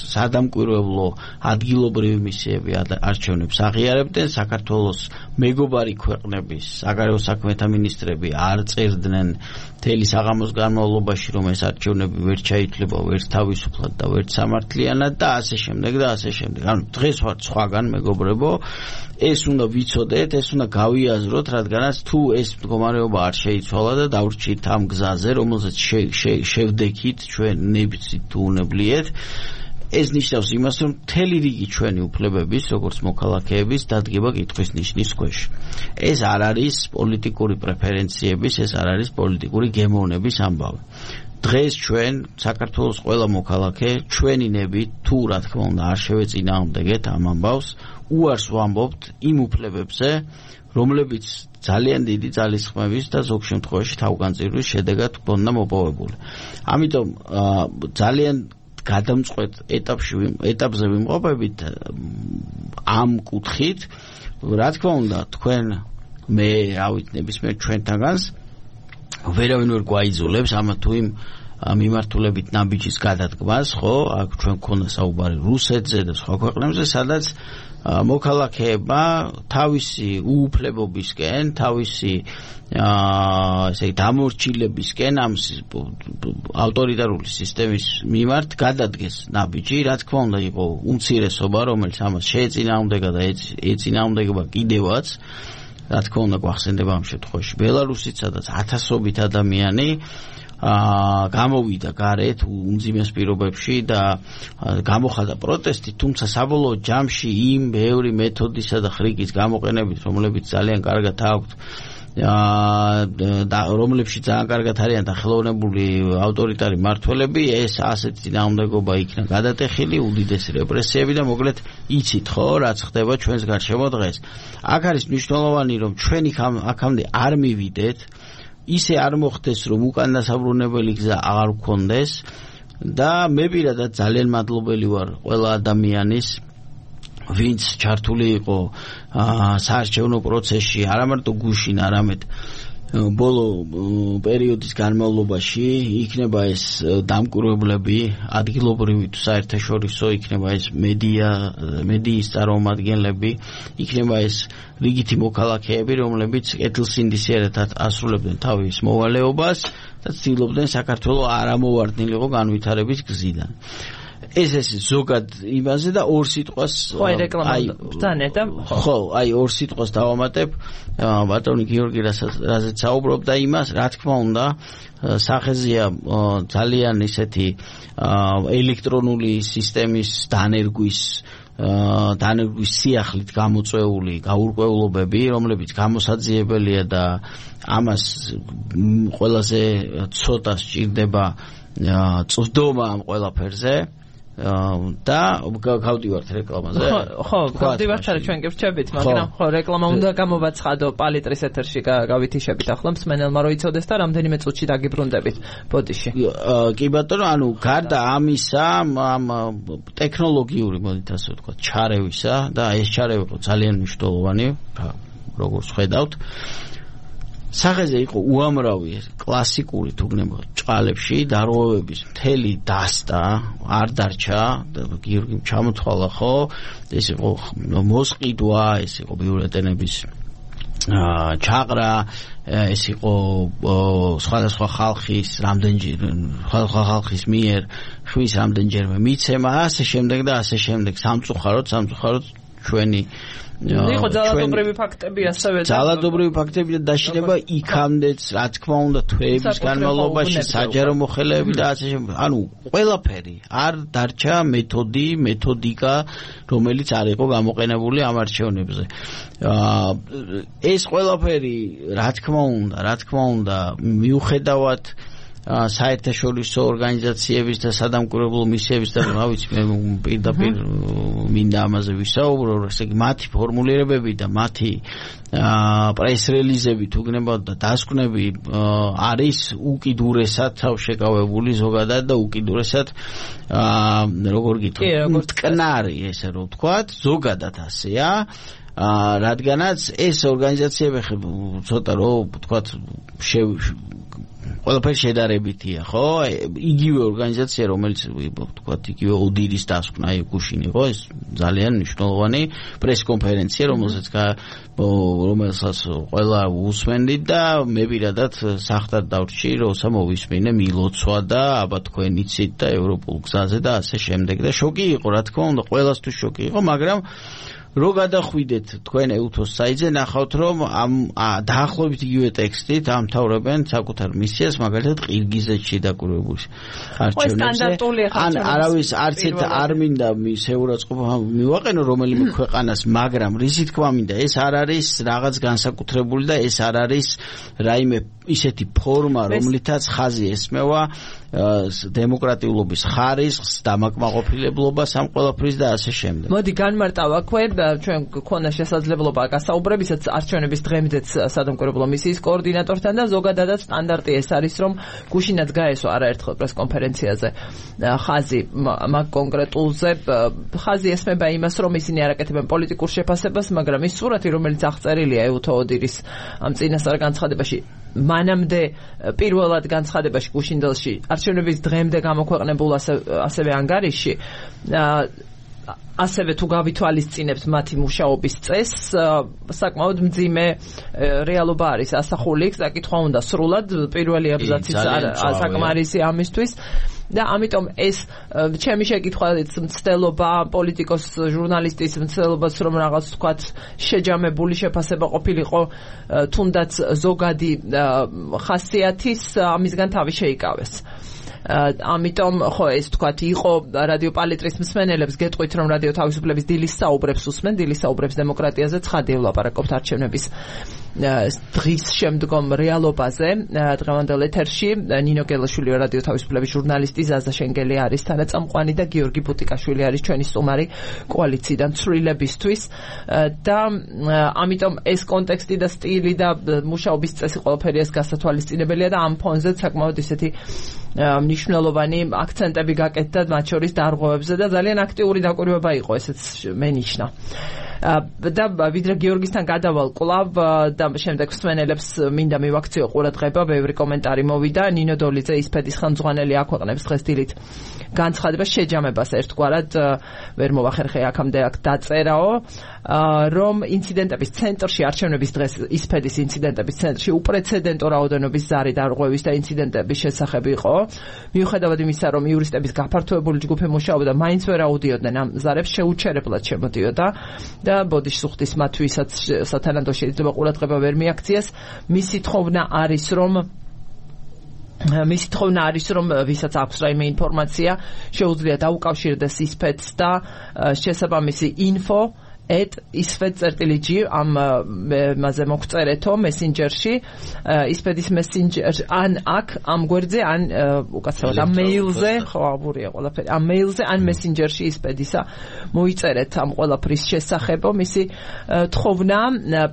[SPEAKER 3] სადამკვირვებლო ადგილობრივი მისიები არჩევნებს აღიარებდნენ, საქართველოს მეგობარი ქვეყნების საგარეო საქმეთა მინისტრები არ წერდნენ მთელი საღამოს განმავლობაში, რომ ეს არჩევნები ვერ ჩაითვლება, ვერ თავისუფლად და ვერ სამართლიანად და ასე შემდეგ და ასე შემდეგ. ანუ დღეს ვართ სხვაგან, მეგობრებო, ეს უნდა ვიცოდეთ, ეს უნდა გავიაზროთ, რადგანაც თუ ეს მდგომარეობა არ შეიცვალა და დავრჩით ამ გზაზე, რომელზეც შევდექით ჩვენ ნებიცით თუ უნებლიეთ, ეს ნიშნავს იმას, რომ მთელი რიგი ჩვენი უფლებების, როგორც მოქალაქეების, დადგება კითხვის ნიშნის ქვეშ. ეს არ არის პოლიტიკური პრეფერენციების, ეს არ არის პოლიტიკური გემოვნების ამბავი. დღეს ჩვენ საქართველოს ყველა მოქალაქე ჩვენი ნებით, თუ რა თქმა უნდა არ შევეწინააღმდეგეთ ამ ამბავს, უარს ვამბობთ იმ უფლებებზე, რომლებიც ძალიან დიდი ძალისხმევის და ზოგ შემთხვევაში თავგანწირვის შედეგად გქონდა მოპოვებული. ამიტომ ძალიან გადამწყვეტ ეტაპში ეტაპზე ვიმყოფებით ამ კუთხით. რა თქმა უნდა, თქვენ მე რა ვიცი, ნებისმიერ ჩვენთაგანს ვერავინ ვერ გვაიძულებს ამა თუ იმ მიმართულებით ნაბიჯის გადადგმას, ხო? აქ ჩვენ გქონდა საუბარი რუსეთზე და სხვა ქვეყნებზე, სადაც მოქალაქეება თავისი უუფლებობისკენ, თავისი ესე დამორჩილებისკენ ამ ავტორიტარული სისტემის მიმართ გადადგეს ნაბიჯი. რა თქმა უნდა, იყო უმცირესობა, რომელიც ამას შეეწინააღმდეგა და ეწინააღმდეგება კიდევაც. რა თქმა უნდა, გვახსენდება ამ შემთხვევაში ბელარუსიც, სადაც ათასობით ადამიანი გამოვიდა გარეთ უმძიმეს პირობებში და გამოხატა პროტესტი, თუმცა საბოლოო ჯამში იმ ბევრი მეთოდისა და ხრიკის გამოყენებით, რომლებიც ძალიან კარგად აქვთ და რომლებშიც ძალიან კარგად არიან დახელოვნებული ავტორიტარი მმართველები, ეს ასეთი წინააღმდეგობა იქნა გადატეხილი, უდიდესი რეპრესიები და მოკლედ იცით ხო, რაც ხდება ჩვენს გარშემო დღეს. აქ არის მნიშვნელოვანი, რომ ჩვენ აქამდე არ მივიდეთ, ისე არ მოხდეს, რომ უკან დასაბრუნებელი გზა აღარ გქონდეს და მე პირადად ძალიან მადლობელი ვარ ყველა ადამიანის, ვინც ჩართული იყო საარჩევნო პროცესში, არა მარტო გუშინ, არამედ ბოლო პერიოდის განმავლობაში იქნება ეს დამკვირვებლები ადგილობრივი თუ საერთაშორისო იქნება ეს მედია მედიის წარმომადგენლები იქნება ეს რიგითი მოქალაქეები რომლებიც კეთილსინდისიერად ასრულებდნენ თავის მოვალეობას და ცდილობდნენ საქართველოს არ ამოვარდნილიყო განვითარების გზიდან ეს ეს ზოგად იმაზე და ორ სიტყვას
[SPEAKER 1] ხო რეკლამა ბრძანე და
[SPEAKER 3] ხო აი ორ სიტყვას დავამატებ ბატონი გიორგი რაზეც საუბრობდა იმას რა თქმა უნდა სახეზეა ძალიან ისეთი ელექტრონული სისტემის დანერგვის დანერგვის სიახლით გამოწვეული გაურკვევლობები რომლებიც გამოსაძიებელია და ამას ყველაზე ცოტა სჭირდება წვდომა ამ ყველაფერზე და გავდივართ რეკლამაზე.
[SPEAKER 1] ხო, გავდივართ არა ჩვენ გევრჩებით, მაგრამ ხო რეკლამა უნდა გამოვაცხადო პალიტრის ეთერში გავითიშებით ახლა მსმენელმა რო იცოდეს და რამდენიმე წუთში დაგიბრუნდებით ბოდიში.
[SPEAKER 3] კი ბატონო, ანუ გარდა ამისა, ამ ტექნოლოგიური მოდით ასე ვთქვათ, ჩარევისა და ეს ჩარევი იყო ძალიან მნიშვნელოვანი, როგორც ხედავთ. სახეზე იყო უამრავი კლასიკური თუგნება ჭყალებში დარღვევების მთელი დასტა არ დარჩა გიორგიმ ჩამოთვალა ხო ეს იყო მოსყიდვა ეს იყო ბიურეტენების ჩაყრა ეს იყო სხვადასხვა ხალხის რამდენჯერ სხვადასხვა ხალხის მიერ ხვის რამდენჯერმე მიცემა ასე შემდეგ და ასე შემდეგ სამწუხაროდ სამწუხაროდ ჩვენი
[SPEAKER 1] იყო ძალადობრივი ფაქტები ასევე
[SPEAKER 3] ძალადობრივი ფაქტები და დაშინება იქამდეც რა თქმა უნდა თვეების განმავლობაში საჯარო მოხელეები და ასე შემდეგ ანუ ყველაფერი არ დარჩა მეთოდი მეთოდიკა რომელიც არ იყო გამოყენებული ამ არჩევნებზე ეს ყველაფერი რა თქმა უნდა რა თქმა უნდა მიუხედავად საერთაშორისო ორგანიზაციების და სადამკვირვებლო მისიების და რა ვიცი მე პირდაპირ მინდა ამაზე ვისაუბრო ესე იგი მათი ფორმულირებები და მათი პრეს-რელიზები თუ გნებავთ და დასკვნები არის უკიდურესად თავშეკავებული ზოგადად და უკიდურესად როგორ გითხრათ მტკნარი ესე რომ ვთქვათ ზოგადად ასეა რადგანაც ეს ორგანიზაციები ცოტა რომ ვთქვათ ყველაფერი შედარებითია, ხო? იგივე ორგანიზაცია, რომელიც ვთქვათ, იგივე ოდირის დასკვნა გუშინ იყო, ეს ძალიან მნიშვნელოვანი პრეს-კონფერენცია, რომელსაც რომელსაც ყველა უსმენდით და მე პირადად სახტად დავრჩი, როცა მოვისმინე მილოცვა და აბა თქვენ იცით და ევროპულ გზაზე და ასე შემდეგ და შოკი იყო, რა თქმა უნდა, ყველასთვის შოკი იყო, მაგრამ რო გადახვიდეთ თქვენ ევთოს საიტზე ნახავთ რომ ამ დაახლოებით იგივე ტექსტით ამთავრებენ საკუთარ მისიას მაგალითად ყირგიზეთში დაკვირვებულ არჩევნებზე ან არავის არც ერთ არ მინდა შეურაცხყოფა მივაყენო რომელიმე ქვეყანას მაგრამ რისი თქვა მინდა ეს არ არის რაღაც განსაკუთრებული და ეს არ არის რაიმე ისეთი ფორმა რომლითაც ხაზი ესმევა დემოკრატიულობის ხარისხს დამაკმაყოფილებლობას ამ ყველაფრის და ასე შემდეგ.
[SPEAKER 1] მოდი განმარტავ აქვე ჩვენ გქონდა შესაძლებლობა გასაუბრებისაც არჩევნების დღემდეც სადამკვირვებლო მისიის კოორდინატორთან და ზოგადადაც სტანდარტი ეს არის რომ გუშინაც გაესვა არაერთხელ პრეს-კონფერენციაზე ხაზი მაგ კონკრეტულზე ხაზი ესმება იმას რომ ისინი არ აკეთებენ პოლიტიკურ შეფასებას მაგრამ ის სურათი რომელიც აღწერილია ევთო ოდირის ამ წინასწარ განცხადებაში მანამდე პირველად განცხადებაში გუშინდელში არჩევნების დღემდე გამოქვეყნებულ ასევე ანგარიშში ასევე თუ გავითვალისწინებთ მათი მუშაობის წესს საკმაოდ მძიმე რეალობა არის ასახული საკითხვა უნდა სრულად პირველი აბზაციც საკმარისი ამისთვის და ამიტომ ეს ჩემი შეკითხვაც მცდელობა პოლიტიკოს ჟურნალისტის მცდელობაც რომ რაღაც თქვათ შეჯამებული შეფასება ყოფილიყო თუნდაც ზოგადი ხასიათის ამისგან თავი შეიკავეს ამიტომ ხო ეს თქვათ იყო რადიო პალიტრის მსმენელებს გეტყვით რომ რადიო თავისუფლების დილის საუბრებს უსმენ დილის საუბრებს დემოკრატიაზე ცხადია ვლაპარაკობთ არჩევნების დღის შემდგომ რეალობაზე დღევანდელ ეთერში ნინო გელაშვილი რადიო თავისუფლების ჟურნალისტი ზაზა შენგელი არის თანაწამყვანი და გიორგი ბუტიკაშვილი არის ჩვენი სტუმარი კოალიციიდან ცვლილებისთვის და ამიტომ ეს კონტექსტი და სტილი და მუშაობის წესი ყველაფერი ეს გასათვალისწინებელია და ამ ფონზე საკმაოდ ისეთი მნიშვნელოვანი აქცენტები გაკეთდა მათ შორის დარღვევებზე და ძალიან აქტიური დაკვირვება იყო, ესეც მენიშნა. და ვიდრე გიორგისთან გადავალ კვლავ და შემდეგ მსმენელებს მინდა მივაქციო ყურადღება, ბევრი კომენტარი მოვიდა. ნინო დოლიძე ისფედის ხელმძღვანელი აქვეყნებს დღეს დილით განცხადებას შეჯამებას ერთგვარად ვერ მოვახერხე აქამდე აქ დაწერაო, რომ ინციდენტების ცენტრში არჩევნების დღეს ისფედის ინციდენტების ცენტრში უპრეცედენტო რაოდენობის ზარი დარღვევის და ინციდენტების შესახებ იყო. მიუხედავად იმისა, რომ იურისტების გაფართოებული ჯგუფი მუშაობდა, მაინც ვერ აუდიოდნენ ამ ზარებს, შეუჩერებლად შემოდიოდა და ბოდიშსუხტის მათ ვისაც სათანადო შეიძლება ყურადღება ვერ მიაქციეს. მისი თხოვნა არის, რომ მისი თხოვნა არის, რომ ვისაც აქვს რაიმე ინფორმაცია, შეუძლია დაუკავშირდეს ისფეთს და შესაბამისი ინფო et isfed.gi am maze მოგწერეთო მესენჯერში ისფედის მესენჯერ ან აქ ამ გვერდზე ან უკაცრავად ამ მეილზე ხო აბურია ყველაფერი ამ მეილზე ან მესენჯერში ისფედისა მოიწერეთ ამ ყველაფრის შესახებო მისი თხოვნა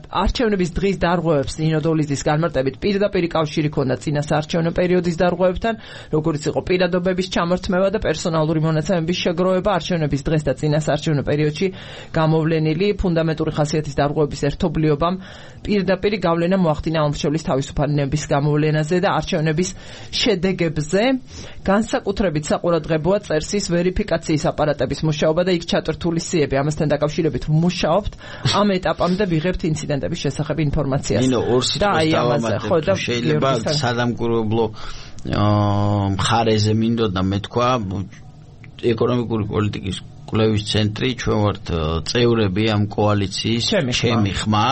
[SPEAKER 1] არჩევნების დღის დარღვევებს ნინო დოლიზის განმარტებით პირდაპირ კავშირი ქონდა წინა საარჩევნო პერიოდის დარღვევებთან როგორც იყო პირადობების ჩამორთმევა და პერსონალური მონაცემების შეგროვება არჩევნების დღეს და წინა საარჩევნო პერიოდში გამოვლენ ფუნდამენტური ხასიათის დარღვევების ერთობლიობამ პირდაპირ გავლენა მოახდინა ომშელის თავისუფალების გამოვლენაზე და არჩევნების შედეგებზე განსაკუთრებით საყურადღებოა წერსის ვერიფიკაციის აპარატების მუშაობა და იქ ჩატვირთული სიები ამასთან დაკავშირებით ვმუშაობთ ამ ეტაპამდე ვიღებთ ინციდენტების შესახებ ინფორმაციას
[SPEAKER 3] და აი ამაზე ხო და შეიძლება სადამკვირვებლო მხარეზე მინდოდა მეთქვა ეკონომიკური პოლიტიკის კვლევის ცენტრი ჩვენ ვართ წევრები ამ კოალიციის ჩემი ხმა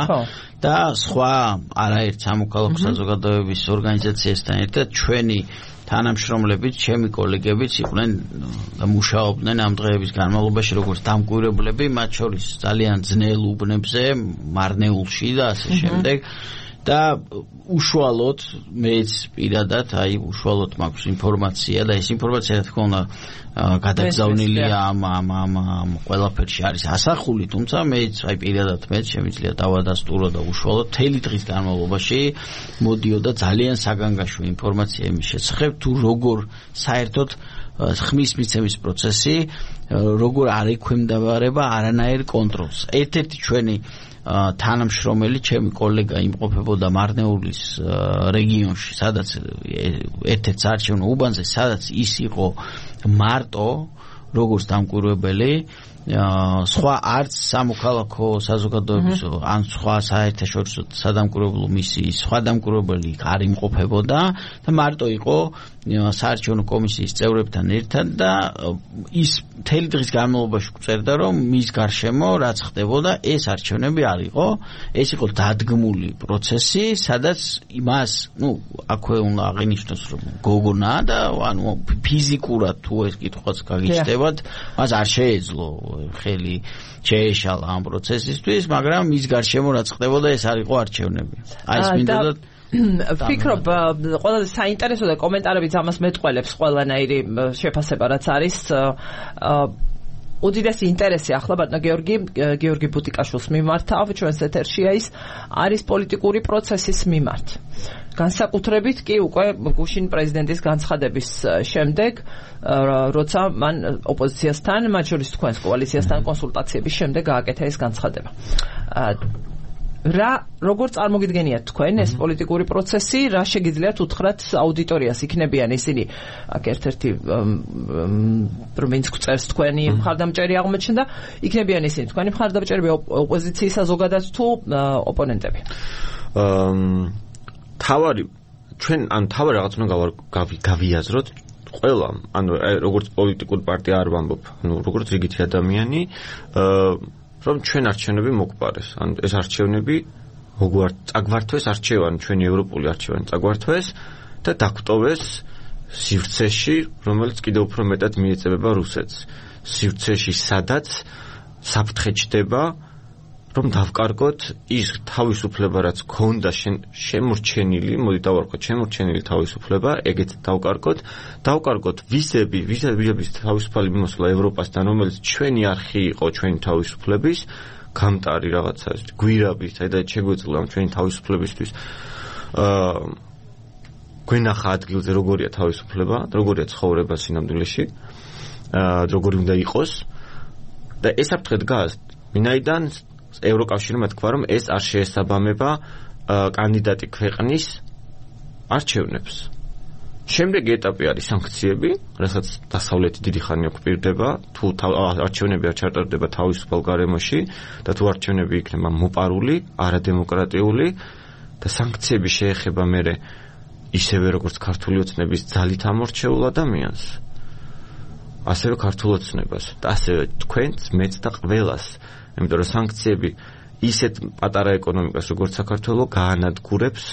[SPEAKER 3] და სხვა არაერთ სამოქალაქო საზოგადოების ორგანიზაციასთან ერთად ჩვენი თანამშრომლებით ჩემი კოლეგებიც იყვნენ და მუშაობდნენ ამ დღეების განმავლობაში როგორც დამკვირვებლები მათ შორის ძალიან ძნელ უბნებზე მარნეულში და ასე შემდეგ და უშუალოდ მეც პირადად აი უშუალოდ მაქვს ინფორმაცია და ეს ინფორმაცია რა თქმა უნდა გადაგზავნილია ამ ამ ამ ყველაფერში არის ასახული თუმცა მეც აი პირადად მეც შემიძლია დავადასტურო და უშუალოდ თელი დღის განმავლობაში მოდიოდა ძალიან საგანგაშო ინფორმაცია იმის შესახებ თუ როგორ საერთოდ ხმის მიცემის პროცესი როგორ არ ექვემდებარება არანაირ კონტროლს ერთ-ერთი ჩვენი თანამშრომელი ჩემი კოლეგა იმყოფებოდა მარნეულის რეგიონში სადაც ერთ-ერთ საარჩევნო უბანზე სადაც ის იყო მარტო როგორც დამკვირვებელი სხვა არც სამოქალაქო საზოგადოების ან სხვა საერთაშორისო სადამკვირვებლო მისიის სხვა დამკვირვებელი არ იმყოფებოდა და მარტო იყო საარჩევნო კომისიის წევრებთან ერთად და ის მთელი დღის განმავლობაში გვწერდა რომ მის გარშემო რაც ხდებოდა ეს არჩევნები არ იყო ეს იყო დადგმული პროცესი სადაც იმას ნუ აქვე უნდა აღინიშნოს რომ გოგონა და ანუ ფიზიკურად თუ ეს კითხვაც გაგიჩნდებათ მას არ შეეძლო ხელი შეეშალა ამ პროცესისთვის მაგრამ მის გარშემო რაც ხდებოდა ეს არ იყო არჩევნები აი ეს მინდოდა
[SPEAKER 1] ფიქრობ ყველაზე საინტერესო და კომენტარებიც ამას მეტყველებს ყველანაირი შეფასება რაც არის უდიდესი ინტერესი ახლა ბატონო გიორგი გიორგი ბუტიკაშვილს მიმართავ ჩვენს ეთერშია ის არის პოლიტიკური პროცესის მიმართ განსაკუთრებით კი უკვე გუშინ პრეზიდენტის განცხადების შემდეგ როცა მან ოპოზიციასთან მათ შორის თქვენს კოალიციასთან კონსულტაციების შემდეგ გააკეთა ეს განცხადება რა როგორ წარმოგიდგენიათ თქვენ ეს პოლიტიკური პროცესი რა შეგიძლიათ უთხრათ აუდიტორიას იქნებიან ისინი აქ ერთ-ერთი პროვინც გვწერს თქვენი მხარდამჭერი აღმოჩნდა იქნებიან ისინი თქვენი მხარდამჭერები ოპოზიციის საზოგადოებას თუ ოპონენტები თავარი ჩვენ ან თავარი რაღაც უნდა გავიაზროთ ყველა ანუ როგორც პოლიტიკური პარტია არ ვამბობ ანუ როგორც რიგითი ადამიანი რომ ჩვენ არჩევნები მოგვყარეს. ანუ ეს არჩევნები მოგვარ წაგვართვეს არჩევანი, ჩვენი ევროპული არჩევანი წაგვართვეს და დაგტოვეს სივრცეში, რომელიც კიდევ უფრო მეტად მიეწებება რუსეთს. სივრცეში, სადაც საფრთხე ჩდება, რომ დავკარგოთ ის თავისუფლება, რაც ქონდა შემორჩენილი, მოდი დავარქოთ, შემორჩენილი თავისუფლება, ეგეც დავკარგოთ, დავკარგოთ ვიზები, ვიზების თავისუფალი მიმოსვლა ევროპასთან, რომელიც ჩვენი არხი იყო, ჩვენი თავისუფლების, გამტარი რაღაცა, გვირაბი, საიდანაც შეგვეძლო ამ ჩვენი თავისუფლებისთვის. აა
[SPEAKER 2] გვენახა ადგილზე როგორია თავისუფლება, როგორია ცხოვრება სინამდვილეში, აა როგორი უნდა იყოს და ეს საფრთხე დგას. ვინაიდან ევროკავშირმა თქვა, რომ ეს არ შეესაბამება კანდიდატი ქვეყნის არჩევნებს. შემდეგი ეტაპი არის სანქციები, რასაც დასავლეთი დიდი ხანი ოკუპირდება, თუ არჩევნები არ ჩატარდება თავისუფალ გარემოში და თუ არჩევნები იქნება მოპარული, არადემოკრატიული და სანქციები შეეხება მერე ისევე როგორც ქართული ოცნების ძალით ამორჩეულ ადამიანს, ასევე ქართულ ოცნებას და ასევე თქვენს, მეც და ყველას, იმიტომ რომ სანქციები ისეთ პატარა ეკონომიკას როგორც საქართველო გაანადგურებს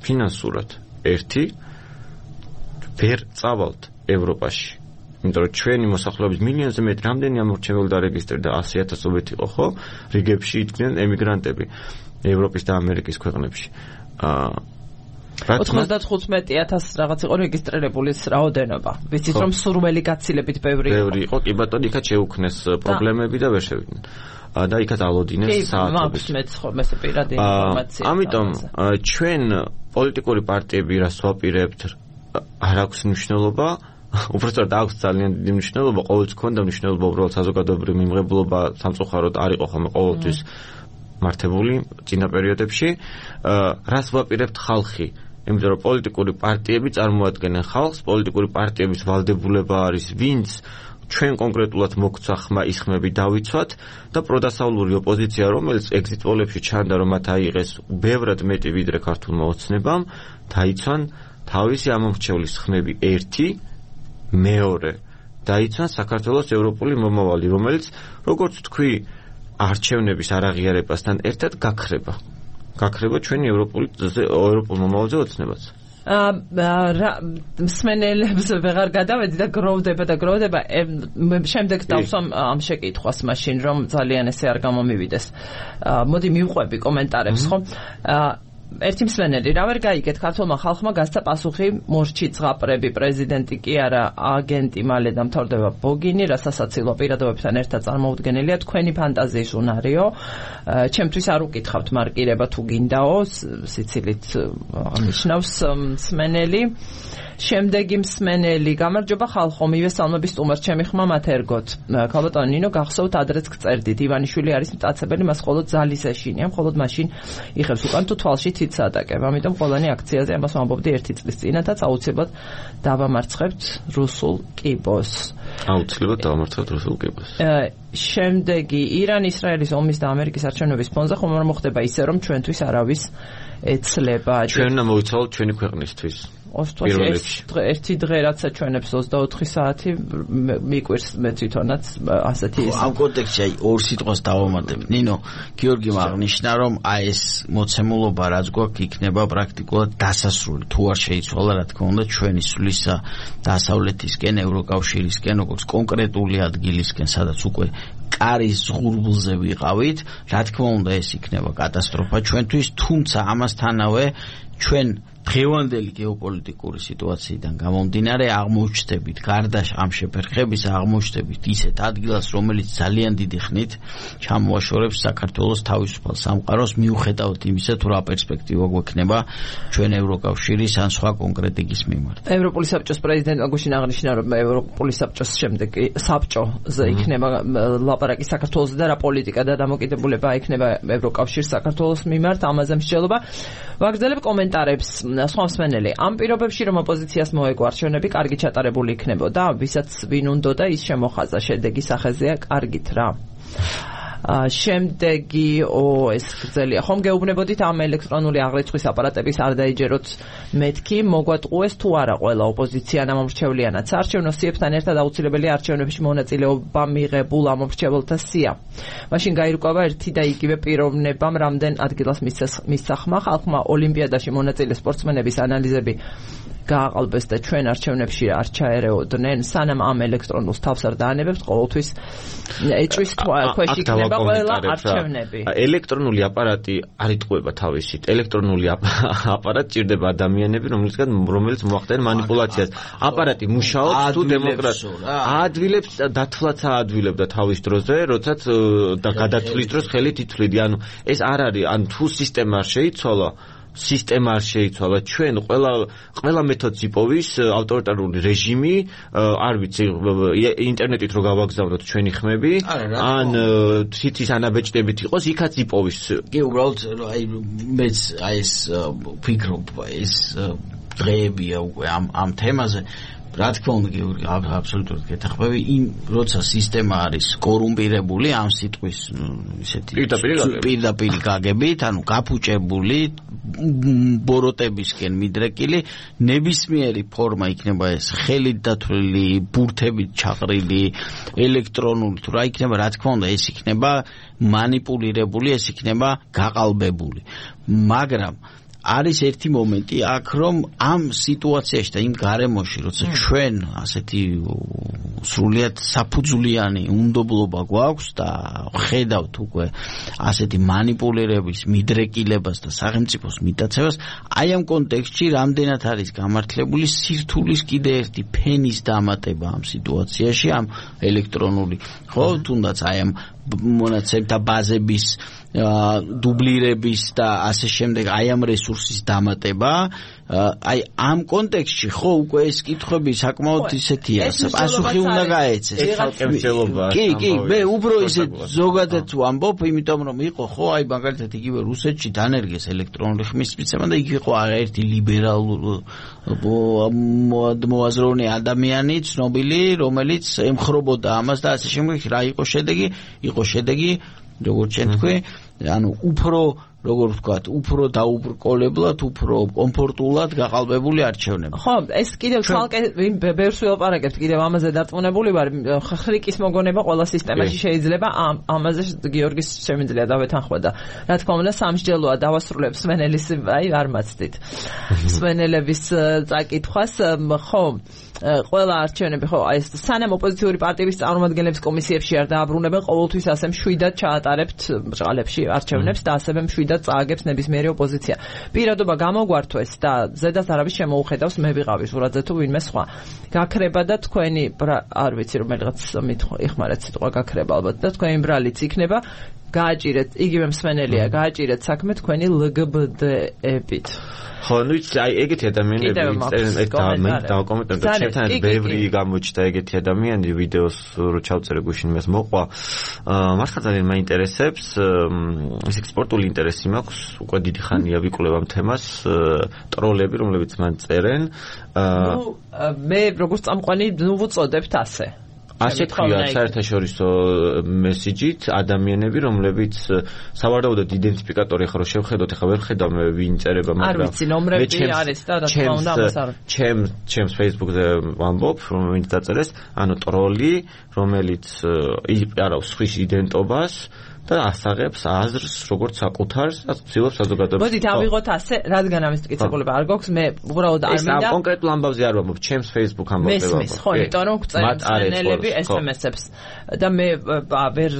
[SPEAKER 2] ფინანსურად. ერთი ვერ წავალთ ევროპაში. იმიტომ რომ ჩვენი მოსახლეობის მილიონზე მეტი რამდენი ამორჩეველი დარეგისტრირდა ასი ათასობით იყო, ხო? რიგებში იდგნენ ემიგრანტები ევროპის და ამერიკის ქვეყნებში. აა
[SPEAKER 1] ოცდათხუთმეტი ათასი რაღაც იყო რეგისტრირებული რაოდენობა. ვიცით რომ სურველი გაცილებით ბევრი იყო.
[SPEAKER 2] ბევრი იყო, კი ბატონო, იქაც შეუქმნეს პრობლემები და ვერ შევიდნენ. და იქაც ალოდინეს საათობით.
[SPEAKER 1] კი, მეც ხომ ესე პირადი ინფორმაცია.
[SPEAKER 2] ამიტომ ჩვენ პოლიტიკური პარტიები რას ვაპირებთ, არ აქვს მნიშვნელობა, უბრალოდ აქვს ძალიან დიდი მნიშვნელობა, ყოველთვის ქონდა მნიშვნელობა უბრალოდ საზოგადოებრივი მიმღებლობა სამწუხაროდ არ იყო ხოლმე ყოველთვის მართებული წინა პერიოდებში. რას ვაპირებთ ხალხი? იმიტომ რომ პოლიტიკური პარტიები წარმოადგენენ ხალხს, პოლიტიკური პარტიების ვალდებულება არის ვინც ჩვენ კონკრეტულად მოგცა ხმა ის ხმები დავიცვათ და პროდასავლური ოპოზიცია, რომელიც ეგზიტ პოლებში ჩანდა, რომ მათ აიღეს ბევრად მეტი ვიდრე ქართულმა ოცნებამ, დაიცვან თავისი ამორჩევლის ხმები ერთი, მეორე დაიცვან საქართველოს ევროპული მომავალი, რომელიც როგორც თქვი, არჩევნების არაღიარებასთან ერთად გაქრება. გაქრება ჩვენი ევროპული ევროპულ მომავალზე ოცნებაც.
[SPEAKER 1] მსმენელებს ვეღარ გადავედი და გროვდება და გროვდება. შემდეგ დავსვამ ამ შეკითხვას მაშინ, რომ ძალიან ესე არ გამომივიდეს. მოდი მივყვები კომენტარებს, ხო? ერთი მსმენელი, რა ვერ გაიგეთ, ქართულმა ხალხმა გასცა პასუხი, მორჩი ზღაპრები, პრეზიდენტი კი არა, აგენტი მალე დამთავრდება ბოგინი, რა სასაცილო პირადობებთან ერთად წარმოუდგენელია, თქვენი ფანტაზიის უნარიო. ჩემთვის არ უკითხავთ მარკირება თუ გინდაო, სიცილით ნიშნავს მსმენელი. შემდეგი მსმენელი, გამარჯობა ხალხო, მივესალმები სტუმარს, ჩემი ხმა მათერგოთ. ქალბატონო ნინო, გახსოვთ ადრეც გწერდით, ივანიშვილი არის მტაცებელი, მას მხოლოდ ძალის ეშინია, მხოლოდ მაშინ იხებს უკან თუ თვალში თითს ატაკებ. ამიტომ ყველანი აქციაზე ამას ვამბობდი ერთი წლის წინათაც აუცილებლად დავამარცხებთ რუსულ კიბოს.
[SPEAKER 2] აუცილებლად დავამარცხებთ რუსულ კიბოს.
[SPEAKER 1] შემდეგი, ირან-ისრაელის ომის და ამერიკის არჩევნების ფონზე ხომ არ მოხდება ისე, რომ ჩვენთვის არავის ეცლება.
[SPEAKER 2] ჩვენ უნდა მოვიცვალოთ ჩვენი ქვეყნისთვის.
[SPEAKER 1] ერთი დღე რაცა ჩვენებს ოცდაოთხი საათი მიკვირს მე თვითონაც ასეთი ის.
[SPEAKER 3] ამ კონტექსტში აი ორ სიტყვას დავამატებ. ნინო, გიორგიმ აღნიშნა, რომ აი ეს მოცემულობა რაც გვაქვს იქნება პრაქტიკულად დასასრული. თუ არ შეიცვალა, რა თქმა უნდა, ჩვენი სვლისა დასავლეთისკენ, ევროკავშირისკენ, როგორც კონკრეტული ადგილისკენ, სადაც უკვე კარის ზღურბლზე ვიყავით, რა თქმა უნდა, ეს იქნება კატასტროფა ჩვენთვის, თუმცა ამასთანავე ჩვენ დღევანდელი გეოპოლიტიკური სიტუაციიდან გამომდინარე აღმოჩნდებით გარდა ამ შეფერხების აღმოჩნდებით ისეთ ადგილას, რომელიც ძალიან დიდი ხნით ჩამოაშორებს საქართველოს თავისუფალ სამყაროს, მიუხედავად იმისა, თუ რა პერსპექტივა გვექნება ჩვენ ევროკავშირის ან სხვა კონკრეტიკის მიმართ.
[SPEAKER 1] ევროპული საბჭოს პრეზიდენტმა გუშინ აღნიშნა, რომ ევროპული საბჭოს შემდეგ საბჭოზე იქნება ლაპარაკი საქართველოს და რა პოლიტიკა და დამოკიდებულება იქნება ევროკავშირის საქართველოს მიმართ, ამაზე მსჯელობა. ვაგრძელებ კომენტარებს. სხვა მსმენელი, ამ პირობებში რომ ოპოზიციას მოეგო არჩევნები, კარგი ჩატარებული იქნებოდა, ვისაც ვინ უნდოდა ის შემოხაზა, შედეგი სახეზეა კარგით რა. შემდეგი ო ეს გრძელია, ხომ გეუბნებოდით ამ ელექტრონული აღრიცხვის აპარატების არ დაიჯეროთ მეთქი, მოგვატყუეს თუ არა ყველა ოპოზიცია ამომრჩევლიანაც. არჩევნო სიებთან ერთად აუცილებელი არჩევნებში მონაწილეობა მიღებულ ამომრჩეველთა სია. მაშინ გაირკვევა ერთი და იგივე პიროვნებამ რამდენ ადგილას მისცა ხმა, ხალხმა ოლიმპიადაში მონაწილე სპორტსმენების ანალიზები გააყალბეს და ჩვენ არჩევნებში არ ჩაერეოდნენ, სანამ ამ ელექტრონულს თავს არ დაანებებთ, ყოველთვის ეჭვის ქვეშ იქნება ყველა არჩევნები.
[SPEAKER 2] ელექტრონული აპარატი არ იტყუება თავისით. ელექტრონული აპარატი ჭირდება ადამიანები, რომლისგან რომელიც მოახდენენ манипуляციას. აპარატი მუშაობს თუ დემოკრატია. აადვილებს, დათვლაც აადვილებდა თავის დროზე, როდესაც და გადათვლის დროს ხელით ითვლიდი. ანუ ეს არ არის, ან თუ სისტემა არ შეიცვალა, სისტემა არ შეიცვალა. ჩვენ ყველა ყველა მეთოდს იპოვის ავტორიტარული რეჟიმი, არ ვიცი, ინტერნეტით რო გავაგზავნოთ ჩვენი ხმები, ან თითის ანაბეჭდებით იყოს, იქაც იპოვის.
[SPEAKER 3] კი, უბრალოდ აი მეც აი ეს ვფიქრობ, ეს დღეებია უკვე ამ ამ თემაზე. რა თქმა უნდა, გიორგი, აბსოლუტურად გეთახმები, იმ როცა სისტემა არის კორუმპირებული ამ სიტყვის ისეთი პირდაპირ გაგებით, ანუ გაფუჭებული, ბოროტებისკენ მიდრეკილი, ნებისმიერი ფორმა იქნება ეს ხელით დათვლილი, ბურთებით ჩაყრილი, ელექტრონული, თუ რა იქნება, რა თქმა უნდა, ეს იქნება მანიპულირებული, ეს იქნება გაყალბებული. მაგრამ არის ერთი მომენტი აქ, რომ ამ სიტუაციაში და იმ გარემოში, როცა ჩვენ ასეთი სრულიად საფუძვლიანი უნდობლობა გვაქვს და ხედავთ უკვე ასეთი მანიპულირების, მიდრეკილებას და სახელმწიფოს მიტაცებას, აი ამ კონტექსტში რამდენად არის გამართლებული სირთულის კიდე ერთი ფენის დამატება ამ სიტუაციაში, ამ ელექტრონული, ხო, თუნდაც აი ამ მონაცემთა ბაზების დუბლირების და ასე შემდეგ, აი ამ რესურსის დამატება, აი ამ კონტექსტში ხო უკვე ეს კითხვები საკმაოდ ისეთია, პასუხი უნდა გაეცეს. კი, კი, მე უფრო ისე ზოგადად ვამბობ, იმიტომ რომ იყო ხო, აი მაგალითად იგივე რუსეთში დანერგეს ელექტრონული ხმის მიცემა და იქ იყო არაერთი ლიბერალური მოაზროვნე ადამიანი, ცნობილი, რომელიც ემხრობოდა ამას და ასე შემდეგ. რა იყო შედეგი? იყო შედეგი, როგორც ჩვენ თქვი, ანუ უფრო როგორ ვთქვათ, უფრო დაუბრკოლებლად, უფრო კომფორტულად გაყალბებული არჩევნები.
[SPEAKER 1] ხო, ეს კიდევ თვალკე ბევრს ველაპარაკებთ, კიდევ ამაზე დარწმუნებული ვარ, ხრიკის მოგონება ყველა სისტემაში შეიძლება, ამაზე გიორგის შემიძლია დავეთანხმო და რა თქმა უნდა სამსჯელოა დავასრულებ სვენელის, აი არ მაცდით. სვენელების წაკითხვას, ხო, ყველა არჩევნები, ხო, აი ეს სანამ ოპოზიციური პარტიების წარმომადგენლების კომისიებში არ დააბრუნებენ, ყოველთვის ასე მშვიდად ჩაატარებთ ბრჭყალებში არჩევნებს და ასევე მშვიდად წააგებს ნებისმიერი ოპოზიცია. პირადობა გამოგვართვეს და ზედაც არავის შემოუხედავს, მე ვიყავი ზურაძე თუ ვინმე სხვა. გაქრება და თქვენი არ ვიცი რომელიღაც იხმარეთ სიტყვა გაქრება ალბათ და თქვენი ბრალიც იქნება გააჭირეთ, იგივე მსმენელია, გააჭირეთ საქმე თქვენი ლგბდ-ებით.
[SPEAKER 2] ხო, ნუ იცი, აი ეგეთი ადამიანები ინტერნეტ დავაკომენტებ და ჩემთან ბევრი გამოჩნდა ეგეთი ადამიანი, ვიდეოს რო ჩავწერე გუშინ იმას მოყვა. მართლა ძალიან მაინტერესებს, ეს ექსპორტული ინტერესი მაქვს, უკვე დიდი ხანია ვიკვლევ ამ თემას, ტროლები, რომლებიც მან წერენ.
[SPEAKER 1] ნუ მე როგორც წამყვანი ნუ ვუწოდებთ ასე.
[SPEAKER 2] ასე თქვია საერთაშორისო მესიჯით ადამიანები, რომლებიც სავარაუდოდ იდენტიფიკატორი ხარო შევხედოთ, ახლა ვერ ხედავ მე ვინ წერება,
[SPEAKER 1] მაგრამ არ ვიცი, ნომრები არის და რა თქმა უნდა ამას არ.
[SPEAKER 2] ჩემს ჩემს Facebook-ზე ვამბობ, რომ ვინც დაწერეს, ანუ ტროლი, რომელიც იპარავს სხვის იდენტობას და ასაღებს აზრს, როგორც საკუთარს, და ცდილობს საზოგადოებას.
[SPEAKER 1] მოდით ავიღოთ ასე, რადგან ამის მტკიცებულება არ გვაქვს, მე უბრალოდ არ მინდა.
[SPEAKER 2] ეს კონკრეტულ ამბავზე არ ვამბობ, ჩემს Facebook ამბავზე ვამბობ.
[SPEAKER 1] მესმის, ხო, იმიტომ რომ გწერენ სენელები ეს ემ ეს-ებს და მე ვერ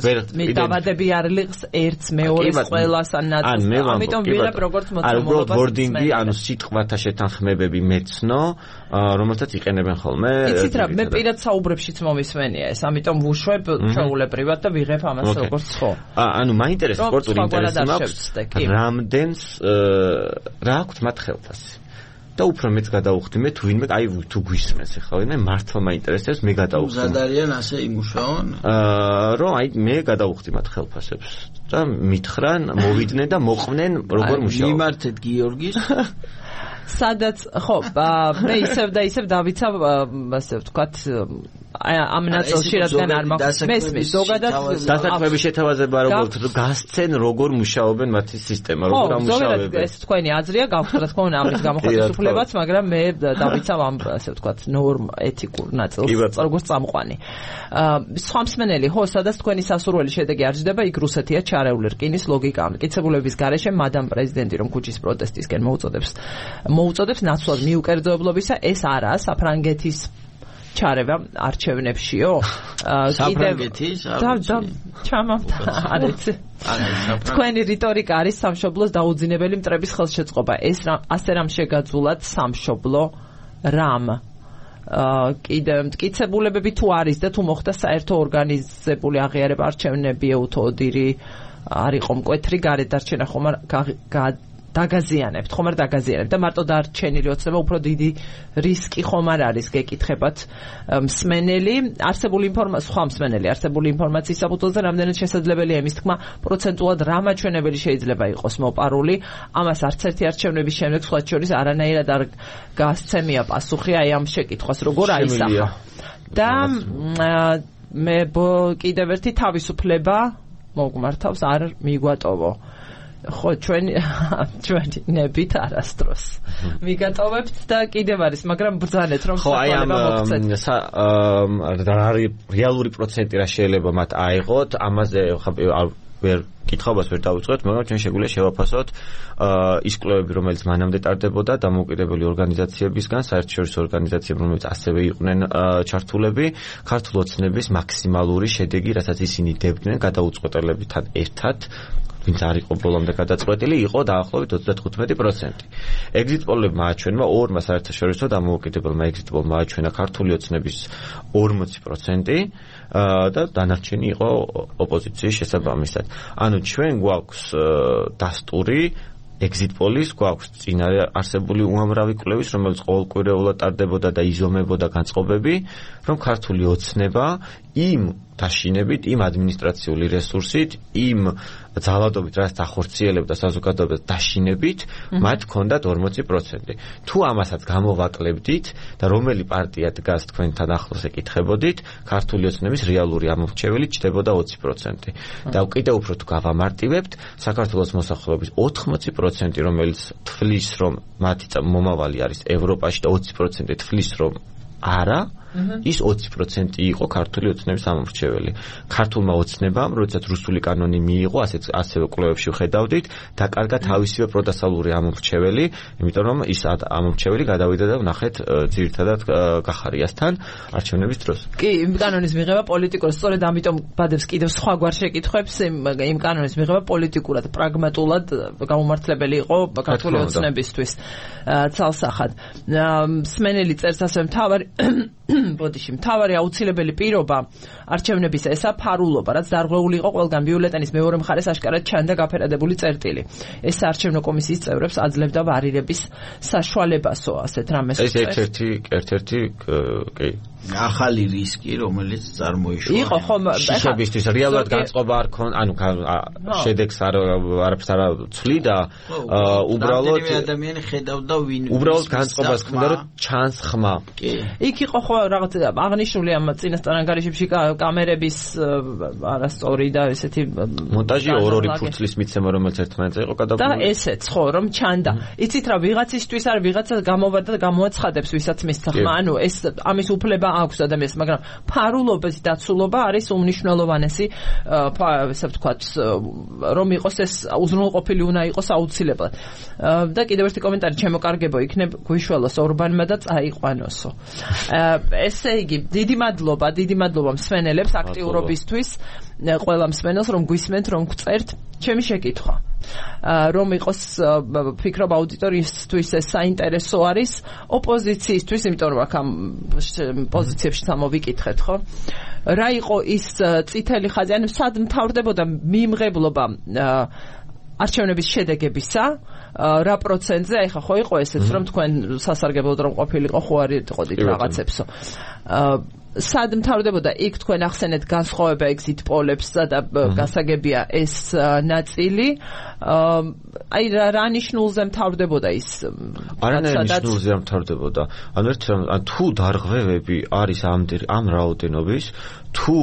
[SPEAKER 1] დავადები არ ლიღს ერთს მეორის ყველას ანაწილს. ამიტომ ვიღებ როგორც მოწმობლობას.
[SPEAKER 2] არ უბრალოდ wording-ი, ანუ სიტყვათა შეთანხმებები მეცნო, რომელსაც იყენებენ ხოლმე.
[SPEAKER 1] იცით რა, მე პირად საუბრებშიც მომისმენია ეს, ამიტომ ვუშვებ ჩაულებრივად და ვიღებ ამას როგორც ხო.
[SPEAKER 2] ანუ მაინტერესებს სპორტული ინტერესი მაქვს, რამდენს რა აქვს მათ ხელფასი. და უფრო მეც გადავუხდი მე თუ ვინმე, აი თუ გვისმენს ახლა ვინმე მართლა მაინტერესებს, მე გადავუხდი.
[SPEAKER 3] მზადარიან ასე იმუშაონ?
[SPEAKER 2] აა რომ აი მე გადავუხდი მათ ხელფასებს და მითხრან, მოვიდნენ და მოყვნენ როგორ მუშაობ.
[SPEAKER 3] მიმართეთ გიორგის
[SPEAKER 1] სადაც ხო, მე ისევ და ისევ დავიცავ, ასე ვთქვათ, ამ ნაწილში რადგან არ მაქვს მესმის ზოგადად
[SPEAKER 2] დასაქმების შეთავაზება როგორც გასცენ როგორ მუშაობენ მათი სისტემა, როგორ ამუშავებენ.
[SPEAKER 1] ეს თქვენი აზრია, გაქვთ რა თქმა უნდა ამის გამოხატვის უფლებაც, მაგრამ მე დავიცავ ამ ასე ვთქვათ ნორმ ეთიკურ ნაწილს როგორც წამყვანი. სხვა მსმენელი, ხო, სადაც თქვენი სასურველი შედეგი არ ჯდება, იქ რუსეთია ჩარეული რკინის ლოგიკა. მტკიცებულების გარეშე მადამ პრეზიდენტი რომ ქუჩის პროტესტისკენ მოუწოდებს მოუწოდებს ნაცვლად მიუკერძოებლობისა, ეს არაა საფრანგეთის ჩარევა არჩევნებშიო.
[SPEAKER 3] საფრანგეთის
[SPEAKER 1] და ჩამამთა არ იცი. თქვენი რიტორიკა არის სამშობლოს დაუძინებელი მტრების ხელშეწყობა. ეს ასე რამ შეგაძულად სამშობლო რამ. კიდე მტკიცებულებები თუ არის და თუ მოხდა საერთო ორგანიზებული აღიარება არჩევნებიო თუ ოდირი არ იყო მკვეთრი გარედარჩენა ხომ დაგაზიანებთ, ხომ არ დაგაზიანებთ და მარტო დარჩენილი ოცნება უფრო დიდი რისკი ხომ არ არის გეკითხებათ მსმენელი არსებული ინფორმაცია სხვა მსმენელი არსებული ინფორმაციის საფუძველზე რამდენად შესაძლებელია იმის თქმა პროცენტულად რა მაჩვენებელი შეიძლება იყოს მოპარული ამას არც ერთი არჩევნების შემდეგ სხვა შორის არანაირად არ გასცემია პასუხი აი ამ შეკითხვას როგორ აისახა და მე კიდევ ერთი თავისუფლება მოგმართავს არ მიგვატოვო ხო ჩვენ ჩვენი ნებით არასდროს მიგატოვებთ და კიდევ არის მაგრამ ბრძანეთ რომ
[SPEAKER 2] ხო აი ამ რეალური პროცენტი რა შეიძლება მათ აიღოთ ამაზე ვერ კითხავს ვერ დავიწყოთ მაგრამ ჩვენ შეგვიძლია შევაფასოთ ის კვლევები რომელიც მანამდე ტარდებოდა დამოუკიდებელი ორგანიზაციებისგან საერთაშორისო ორგანიზაციები რომელიც ასევე იყვნენ ჩართულები ქართულ ოცნების მაქსიმალური შედეგი რასაც ისინი დებდნენ გადაუწყვეტელებთან ერთად ვინც არ იყო ბოლომდე გადაწყვეტილი, იყო დაახლოებით ოცდათხუთმეტი პროცენტი. ეგზიტ პოლებმა აჩვენა ორმა საერთაშორისო დამოუკიდებელმა ეგზიტ პოლმა აჩვენა ქართული ოცნების ორმოცი პროცენტი და დანარჩენი იყო ოპოზიციის შესაბამისად. ანუ ჩვენ გვაქვს დასტური ეგზიტ პოლის გვაქვს წინარე არსებული უამრავი კვლევის, რომელიც ყოველკვირეულად ტარდებოდა და იზომებოდა განწყობები, რომ ქართული ოცნება იმ დაშინებით, იმ ადმინისტრაციული რესურსით, იმ ძალადობით, რაც ახორციელებდა საზოგადოებას დაშინებით, მათ ჰქონდათ ორმოცი პროცენტი. თუ ამასაც გამოვაკლებდით და რომელი პარტია დგას თქვენთან ახლოს ეკითხებოდით, ქართული ოცნების რეალური ამორჩეველი ჩნდებოდა ოცი პროცენტი. და კიდევ უფრო თუ გავამარტივებთ, საქართველოს მოსახლეობის ოთხმოცი პროცენტი, რომელიც თვლის, რომ მათი მომავალი არის ევროპაში და ოცი პროცენტი თვლის, რომ არა ის ოცი პროცენტი იყო ქართული ოცნების ამორჩეველი. ქართულმა ოცნებამ, როდესაც რუსული კანონი მიიღო, ასეც ასევე კვლევებში ვხედავდით, დაკარგა თავისივე პროდასალური ამორჩეველი, იმიტომ რომ ის ამორჩეველი გადავიდა და ვნახეთ ძირითადად გახარიასთან არჩევნების დროს.
[SPEAKER 1] კი, იმ კანონის მიღება პოლიტიკურად, სწორედ ამიტომ ბადებს კიდევ სხვაგვარ შეკითხვებს, იმ კანონის მიღება პოლიტიკურად, პრაგმატულად გამომართლებელი იყო ქართული ოცნებისთვის ცალსახად. მსმენელი წერს ასევე მთავარი ბოდიში მთავარი აუცილებელი პირობა არჩევნების ესა ფარულობა, რაც დარღვეული იყო ყველგან ბიულეტენის მეორე მხარეს აშკარად ჩანდა გაფერადებული წერტილი. ეს საარჩევნო კომისიის წევრებს აძლევდა ვარირების საშუალებასო, ასეთ რამეს.
[SPEAKER 2] ეს ერთ-ერთი ერთ-ერთი კი
[SPEAKER 3] ახალი რისკი, რომელიც წარმოიშვა.
[SPEAKER 1] იყო ხომ
[SPEAKER 2] შიშებისთვის რეალურად განწყობა არ ქონ, ანუ შედეგს არ არაფერს არ ცვლიდა, უბრალოდ
[SPEAKER 3] ადამიანი ხედავდა ვინ
[SPEAKER 2] უბრალოდ განწყობას ქონდა, რომ ჩანს ხმა.
[SPEAKER 3] კი.
[SPEAKER 1] იქ იყო ხო რაღაც აღნიშნული ამ წინასწარ ანგარიშებში კამერების არასწორი და ესეთი
[SPEAKER 2] მონტაჟი ორ-ორი ფურცლის მიცემა რომელიც ერთმანეთზე იყო გადაგული.
[SPEAKER 1] და ესეც ხო რომ ჩანდა. იცით რა ვიღაცისთვის არ ვიღაცა გამოვარდა და გამოაცხადებს ვისაც მისცა ხმა, ანუ ეს ამის უფლება აქვს ადამიანს, მაგრამ ფარულობის დაცულობა არის უმნიშვნელოვანესი, ესე ვთქვათ, რომ იყოს ეს უზრუნველყოფილი უნდა იყოს აუცილებლად. და კიდევ ერთი კომენტარი ჩემოკარგებო იქნებ გვიშველოს ორბანმა და წაიყვანოსო. ესე იგი, დიდი მადლობა, დიდი მადლობა მსმენელებს აქტიურობისთვის, ყველა მსმენელს რომ გვისმენთ, რომ გწერთ. ჩემი შეკითხვა, რომ იყოს ფიქრობ აუდიტორიისთვის ეს საინტერესო არის ოპოზიციისთვის, იმიტომ რომ აქ ამ პოზიციებში სამოვიკითხეთ, ხო? რა იყო ის წითელი ხაზი, ანუ სად მთავრდებოდა მიმღებლობა არჩევნების შედეგებისა, რა პროცენტზე, აი ხა ხო იყო ესეც, რომ თქვენ სასარგებლოდ რომ ყოფილიყო, ხო არ იყოდით რაღაცებსო. სად მთავრდებოდა იქ თქვენ ახსენეთ განსხვავება ეგზიტ პოლებსა და გასაგებია ეს ნაწილი. აი რა ნიშნულზე მთავრდებოდა ის?
[SPEAKER 2] არანაირ ნიშნულზე მთავრდებოდა. ანუ ერთ თუ დარღვევები არის ამ ამ რაოდენობის, თუ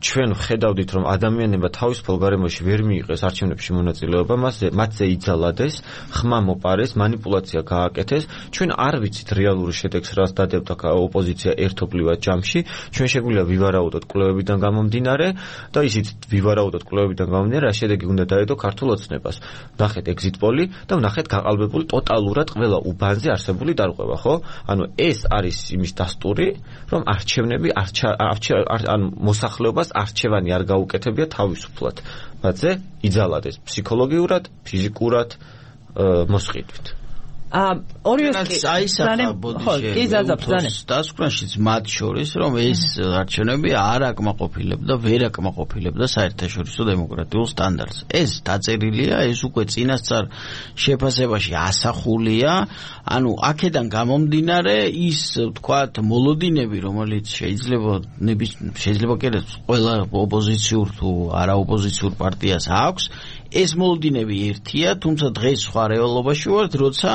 [SPEAKER 2] ჩვენ ვხედავდით რომ ადამიანებმა თავისუფალ გარემოში ვერ მიიღეს არჩევნებში მონაწილეობა, მასზე მათზე იძალადეს, ხმა მოპარეს, манипуляცია გააკეთეს, ჩვენ არ ვიცით რეალური შედეგს, რაც დადებდა ოპოზიცია ერთობლივად ჯამში, ჩვენ შეგვიძლია ვივარაუდოთ კვლევებიდან გამომდინარე და ისიც ვივარაუდოთ კვლევებიდან გამომდინარე, რა შედეგი უნდა დაედო ქართულ ოცნებას. ვნახეთ ეგზიტ პოლი და ვნახეთ გაყალბებული ტოტალურად ყველა უბანზე არსებული დარღვევა, ხო? ანუ ეს არის იმის დასტური, რომ არჩევნები ანუ მოსახლეობას არჩევანი არ გაუკეთებია თავისუფლად. მათზე იძალადეს ფსიქოლოგიურად, ფიზიკურად მოსყიდვით.
[SPEAKER 1] ორივე
[SPEAKER 3] კი დასკვნაშიც მათ შორის რომ ეს არჩევნები არ აკმაყოფილებდა ვერ აკმაყოფილებდა საერთაშორისო დემოკრატიულ სტანდარტს ეს დაწერილია ეს უკვე წინასწარ შეფასებაში ასახულია ანუ აქედან გამომდინარე ის ვთქვათ მოლოდინები რომელიც შეიძლება შეიძლება კი ყველა ოპოზიციურ თუ არაოპოზიციურ პარტიას აქვს ეს მოლოდინები ერთია თუმცა დღეს სხვა რეალობაში ვართ როცა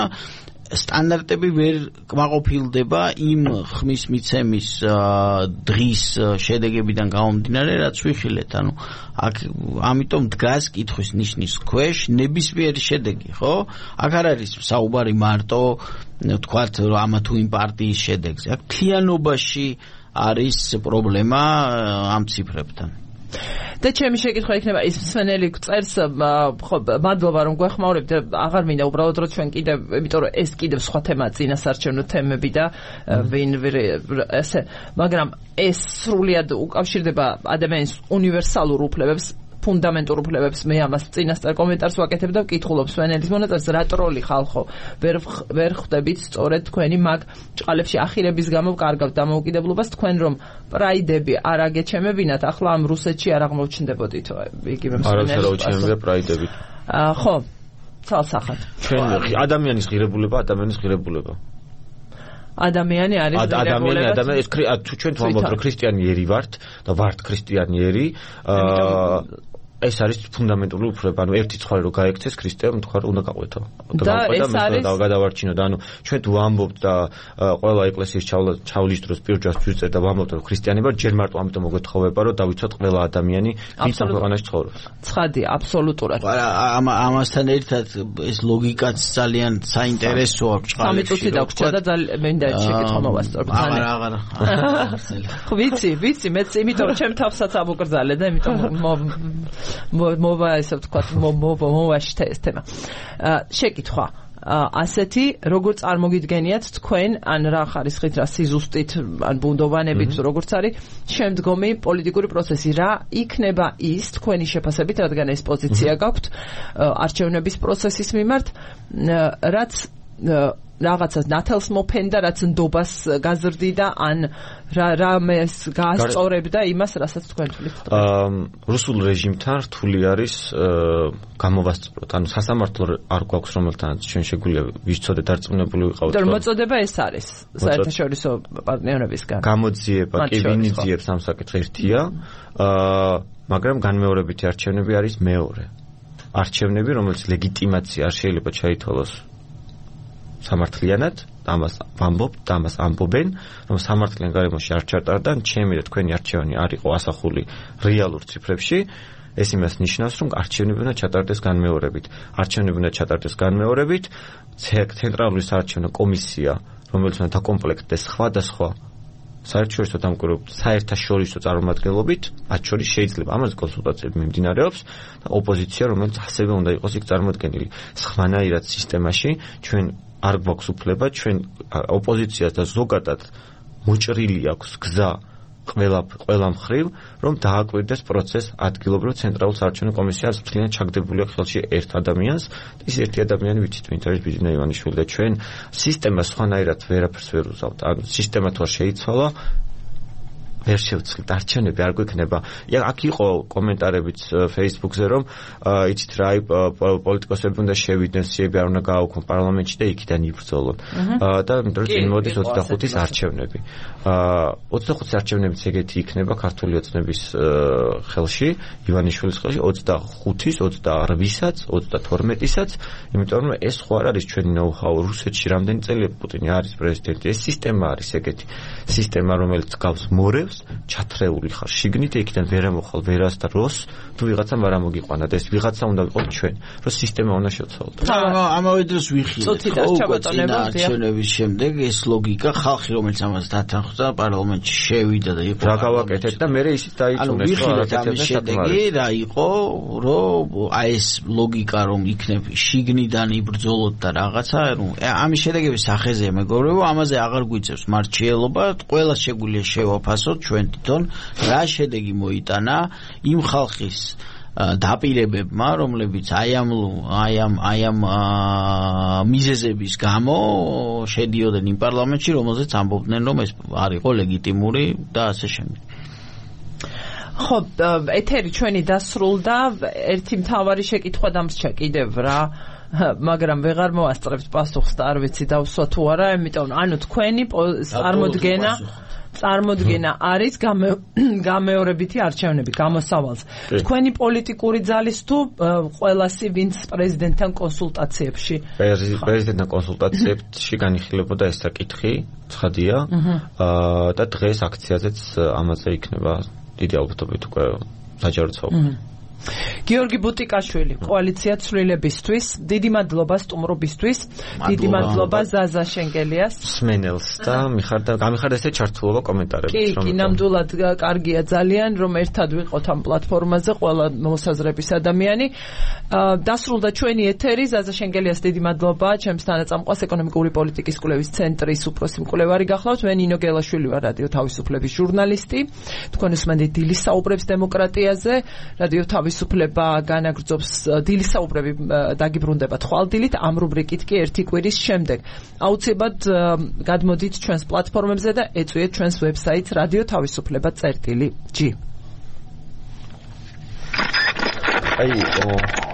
[SPEAKER 3] სტანდარტები ვერ კმაყოფილდება იმ ხმის მიცემის დღის შედეგებიდან გამომდინარე რაც ვიხილეთ ანუ აქ ამიტომ დგას კითხვის ნიშნის ქვეშ ნებისმიერი შედეგი ხო აქ არ არის საუბარი მარტო ვთქვათ ამა თუ იმ პარტიის შედეგზე აქ მთლიანობაში არის პრობლემა ამ ციფრებთან
[SPEAKER 1] და ჩემი შეკითხვა იქნება ის მსმენელი წერს ხო მადლობა რომ გვეხმაურებთ აღარ მინდა უბრალოდ რომ ჩვენ კიდევ იმიტომ რომ ეს კიდევ სხვა თემაა წინასარჩევნო თემები და ვინ ესე მაგრამ ეს სრულიად უკავშირდება ადამიანის უნივერსალურ უფლებებს ფუნდამენტურ უფლებებს მე ამას წინასწარ კომენტარს ვაკეთებ და ვკითხულობ სვენელის მონაწილეს რა ტროლი ხალხო ვერ ვერ ხვდებით სწორედ თქვენი მაგ ჭყალებში ახირების გამო კარგავთ დამოუკიდებლობას თქვენ რომ პრაიდები არ აგეჩემებინათ ახლა ამ რუსეთში არ აღმოჩნდებოდითო იგივე მსვენელის
[SPEAKER 2] არ აღჩემებია პრაიდები
[SPEAKER 1] ხო ცალსახად
[SPEAKER 2] ჩვენ ადამიანის ღირებულება ადამიანის ღირებულება
[SPEAKER 1] ადამიანი არის
[SPEAKER 2] ადამიანი ადამიანი ეს თუ ჩვენ ვამბობთ რომ ქრისტიანიერი ვართ და ვართ ქრისტიანიერი აა ეს არის ფუნდამენტური უფლება ანუ ერთი ცხვარი რო გაექცეს ქრისტემ თქვა უნდა გაყვეთო
[SPEAKER 1] და ეს არის
[SPEAKER 2] და გადავარჩინო და ანუ ჩვენ თუ ვამბობთ და ყველა ეკლესიის ჩავლის დროს პირჯას ვიწერთ და ვამბობთ რომ ქრისტიანი ვარ ჯერ მარტო ამიტომ მოგეთხოვება რომ დავიცვათ ყველა ადამიანი ვინც ამ ქვეყანაში ცხოვრობს
[SPEAKER 1] ცხადი აბსოლუტურად
[SPEAKER 3] ამ ამასთან ერთად ეს ლოგიკაც ძალიან საინტერესო აქვს
[SPEAKER 1] სამი წუთი დაგვრჩა და მინდა შეკითხვა მოვასწორებ
[SPEAKER 3] აღარ აღარ
[SPEAKER 1] ხო ვიცი ვიცი მეც იმიტომ რომ ჩემ თავსაც ამოკრძალე და იმიტომ მოვა ესე ვთქვათ მოვაშთა ეს თემა შეკითხვა ასეთი როგორ წარმოგიდგენიათ თქვენ ან რა ხარისხით რა სიზუსტით ან ბუნდოვანებით როგორც არის შემდგომი პოლიტიკური პროცესი რა იქნება ის თქვენი შეფასებით რადგან ეს პოზიცია გაქვთ არჩევნების პროცესის მიმართ რაც რაღაცას ნათელს მოფენდა რაც ნდობას გაზრდიდა ან რა რამეს გაასწორებდა იმას რასაც თქვენ თulit
[SPEAKER 2] რუსულ რეჟიმთან რთული არის გამოვასწოროთ ანუ სასამართლო არ გვაქვს რომელთანაც ჩვენ შეგვიძლია ვიცოდეთ დარწმუნებული ვიყავით
[SPEAKER 1] რომ მოწოდება ეს არის საერთაშორისო პარტნიორებისგან
[SPEAKER 2] გამოძიება კი ვინ იძიებს ამ საკითხს ერთია მაგრამ განმეორებითი არჩევნები არის მეორე არჩევნები რომელიც ლეგიტიმაცია არ შეიძლება ჩაითვალოს სამართლიანად ამას ვამბობ და ამას ამბობენ რომ სამართლიან გარემოში არ ჩატარდა ჩემი და თქვენი არჩევანი არ იყო ასახული რეალურ ციფრებში ეს იმას ნიშნავს რომ არჩევნები უნდა ჩატარდეს განმეორებით არჩევნები უნდა ჩატარდეს განმეორებით ცენტრალური საარჩევნო კომისია რომელიც უნდა დაკომპლექტდეს სხვადასხვა საერთაშორისო დამკვირვებლობით საერთაშორისო წარმომადგენლობით მათ შორის შეიძლება ამაზე კონსულტაციები მიმდინარეობს და ოპოზიცია რომელიც ასევე უნდა იყოს იქ წარმოდგენილი სხვანაირად სისტემაში ჩვენ არ გვაქვს უფლება ჩვენ ოპოზიციას და ზოგადად მოჭრილი აქვს გზა ყველა ყველა მხრივ რომ დააკვირდეს პროცესს ადგილობრივ ცენტრალურ საარჩევნო კომისიას მთლიანად ჩაგდებული აქვს ხელში ერთ ადამიანს ის ერთი ადამიანი ვიცით ვინც არის ბიძინა ივანიშვილი და ჩვენ სისტემა სხვანაირად ვერაფერს ვერ უზავთ ანუ სისტემა თუ არ შეიცვალა ვერ შევცვლით არჩევნები არ გვექნება აქ იყო კომენტარებიც Facebook-ზე რომ იცით რა პოლიტიკოსები უნდა შევიდნენ სიები არ უნდა გააუქმო პარლამენტში და იქიდან იბრძოლონ და წინ მოდის ოცდახუთის არჩევნები ოცდახუთის არჩევნებიც ეგეთი იქნება ქართული ოცნების ხელში ივანიშვილის ხელში ოცდახუთის ოცდაოთხისაც ოცდათორმეტისაც იმიტომ რომ ეს ხო არ არის ჩვენი ნოუ-ჰაუ რუსეთში რამდენი წელია პუტინი არის პრეზიდენტი ეს სისტემა არის ეგეთი სისტემა რომელიც გავს მორევს ჩათრეული ხარ შიგნით იქიდან ვერ ამოხალ ვერას და როს თუ ვიღაცამ არ ამოგიყვანა და ეს ვიღაცა უნდა ვიყო ჩვენ რომ სისტემა უნდა შევცვალოთ
[SPEAKER 3] ამავე დროს ვიხილეთ არჩევნების შემდეგ ეს ლოგიკა ხალხი რომელიც ამას დათანხმდა პარლამენტში შევიდა და იყო
[SPEAKER 2] რა გავაკეთეთ და მე ისიც დაიწუნეს
[SPEAKER 3] რომ არაკეთებდა შედეგი რა იყო რომ აი ეს ლოგიკა რომ იქნებ შიგნიდან იბრძოლოთ და რაღაცა რომ ამის შედეგების სახეზე მეგობრებო ამაზე აღარ გვიწევს მარჩიელობა ყველა შეგვიძლია შევაფასოთ ჩვენ თვითონ რა შედეგი მოიტანა იმ ხალხის დაპირებებმა, რომლებიც აი ამ აი ამ აი ამ მიზეზების გამო შედიოდნენ იმ პარლამენტში, რომელზეც ამბობდნენ, რომ ეს არ იყო ლეგიტიმური და ასე შემდეგ.
[SPEAKER 1] ხო, ეთერი ჩვენი დასრულდა, ერთი მთავარი შეკითხვა დამრჩა კიდევ რა, მაგრამ ვეღარ მოასწრებთ პასუხს და არ ვიცი დავსვა თუ არა, იმიტომ ანუ თქვენი წარმოდგენა წარმოდგენა არის გამეორებითი არჩევნები გამოსავალს. თქვენი პოლიტიკური ძალის თუ ყველასი ვინც პრეზიდენტთან კონსულტაციებში?
[SPEAKER 2] პრეზიდენტთან კონსულტაციებში განიხილებოდა ეს საკითხი, ცხადია. და დღეს აქციაზეც ამაზე იქნება დიდი ალბათობით უკვე საჯარო ცალკე.
[SPEAKER 1] გიორგი ბუტიკაშვილი, კოალიცია ცვლილებისთვის, დიდი მადლობა სტუმრობისთვის, დიდი მადლობა ზაზა შენგელიას,
[SPEAKER 2] სმენელს და მიხარდა გამიხარდა ესე ჩართულობა კომენტარებით.
[SPEAKER 1] კი, კი, ნამდვილად კარგია ძალიან, რომ ერთად ვიყოთ ამ პლატფორმაზე ყველა მოსაზრების ადამიანი. დასრულდა ჩვენი ეთერი, ზაზა შენგელიას დიდი მადლობა, ჩემს თანაწამყვას ეკონომიკური პოლიტიკის კვლევის ცენტრის უფროსი მკვლევარი გახლავთ, მე ნინო გელაშვილი ვარ, რადიო თავისუფლების ჟურნალისტი. თქვენ უსმენთ დილის საუბრებს დემოკრატიაზე, რადიო თავისუფლება განაგრძობს დილის საუბრები დაგიბრუნდება თვალდილით ამ რუბრიკით კი ერთი კვირის შემდეგ. აუცილებლად გადმოდით ჩვენს პლატფორმებზე და ეწვიეთ ჩვენს ვებსაიტს რადიო თავისუფლება წერტილი ჯი.
[SPEAKER 2] აი ო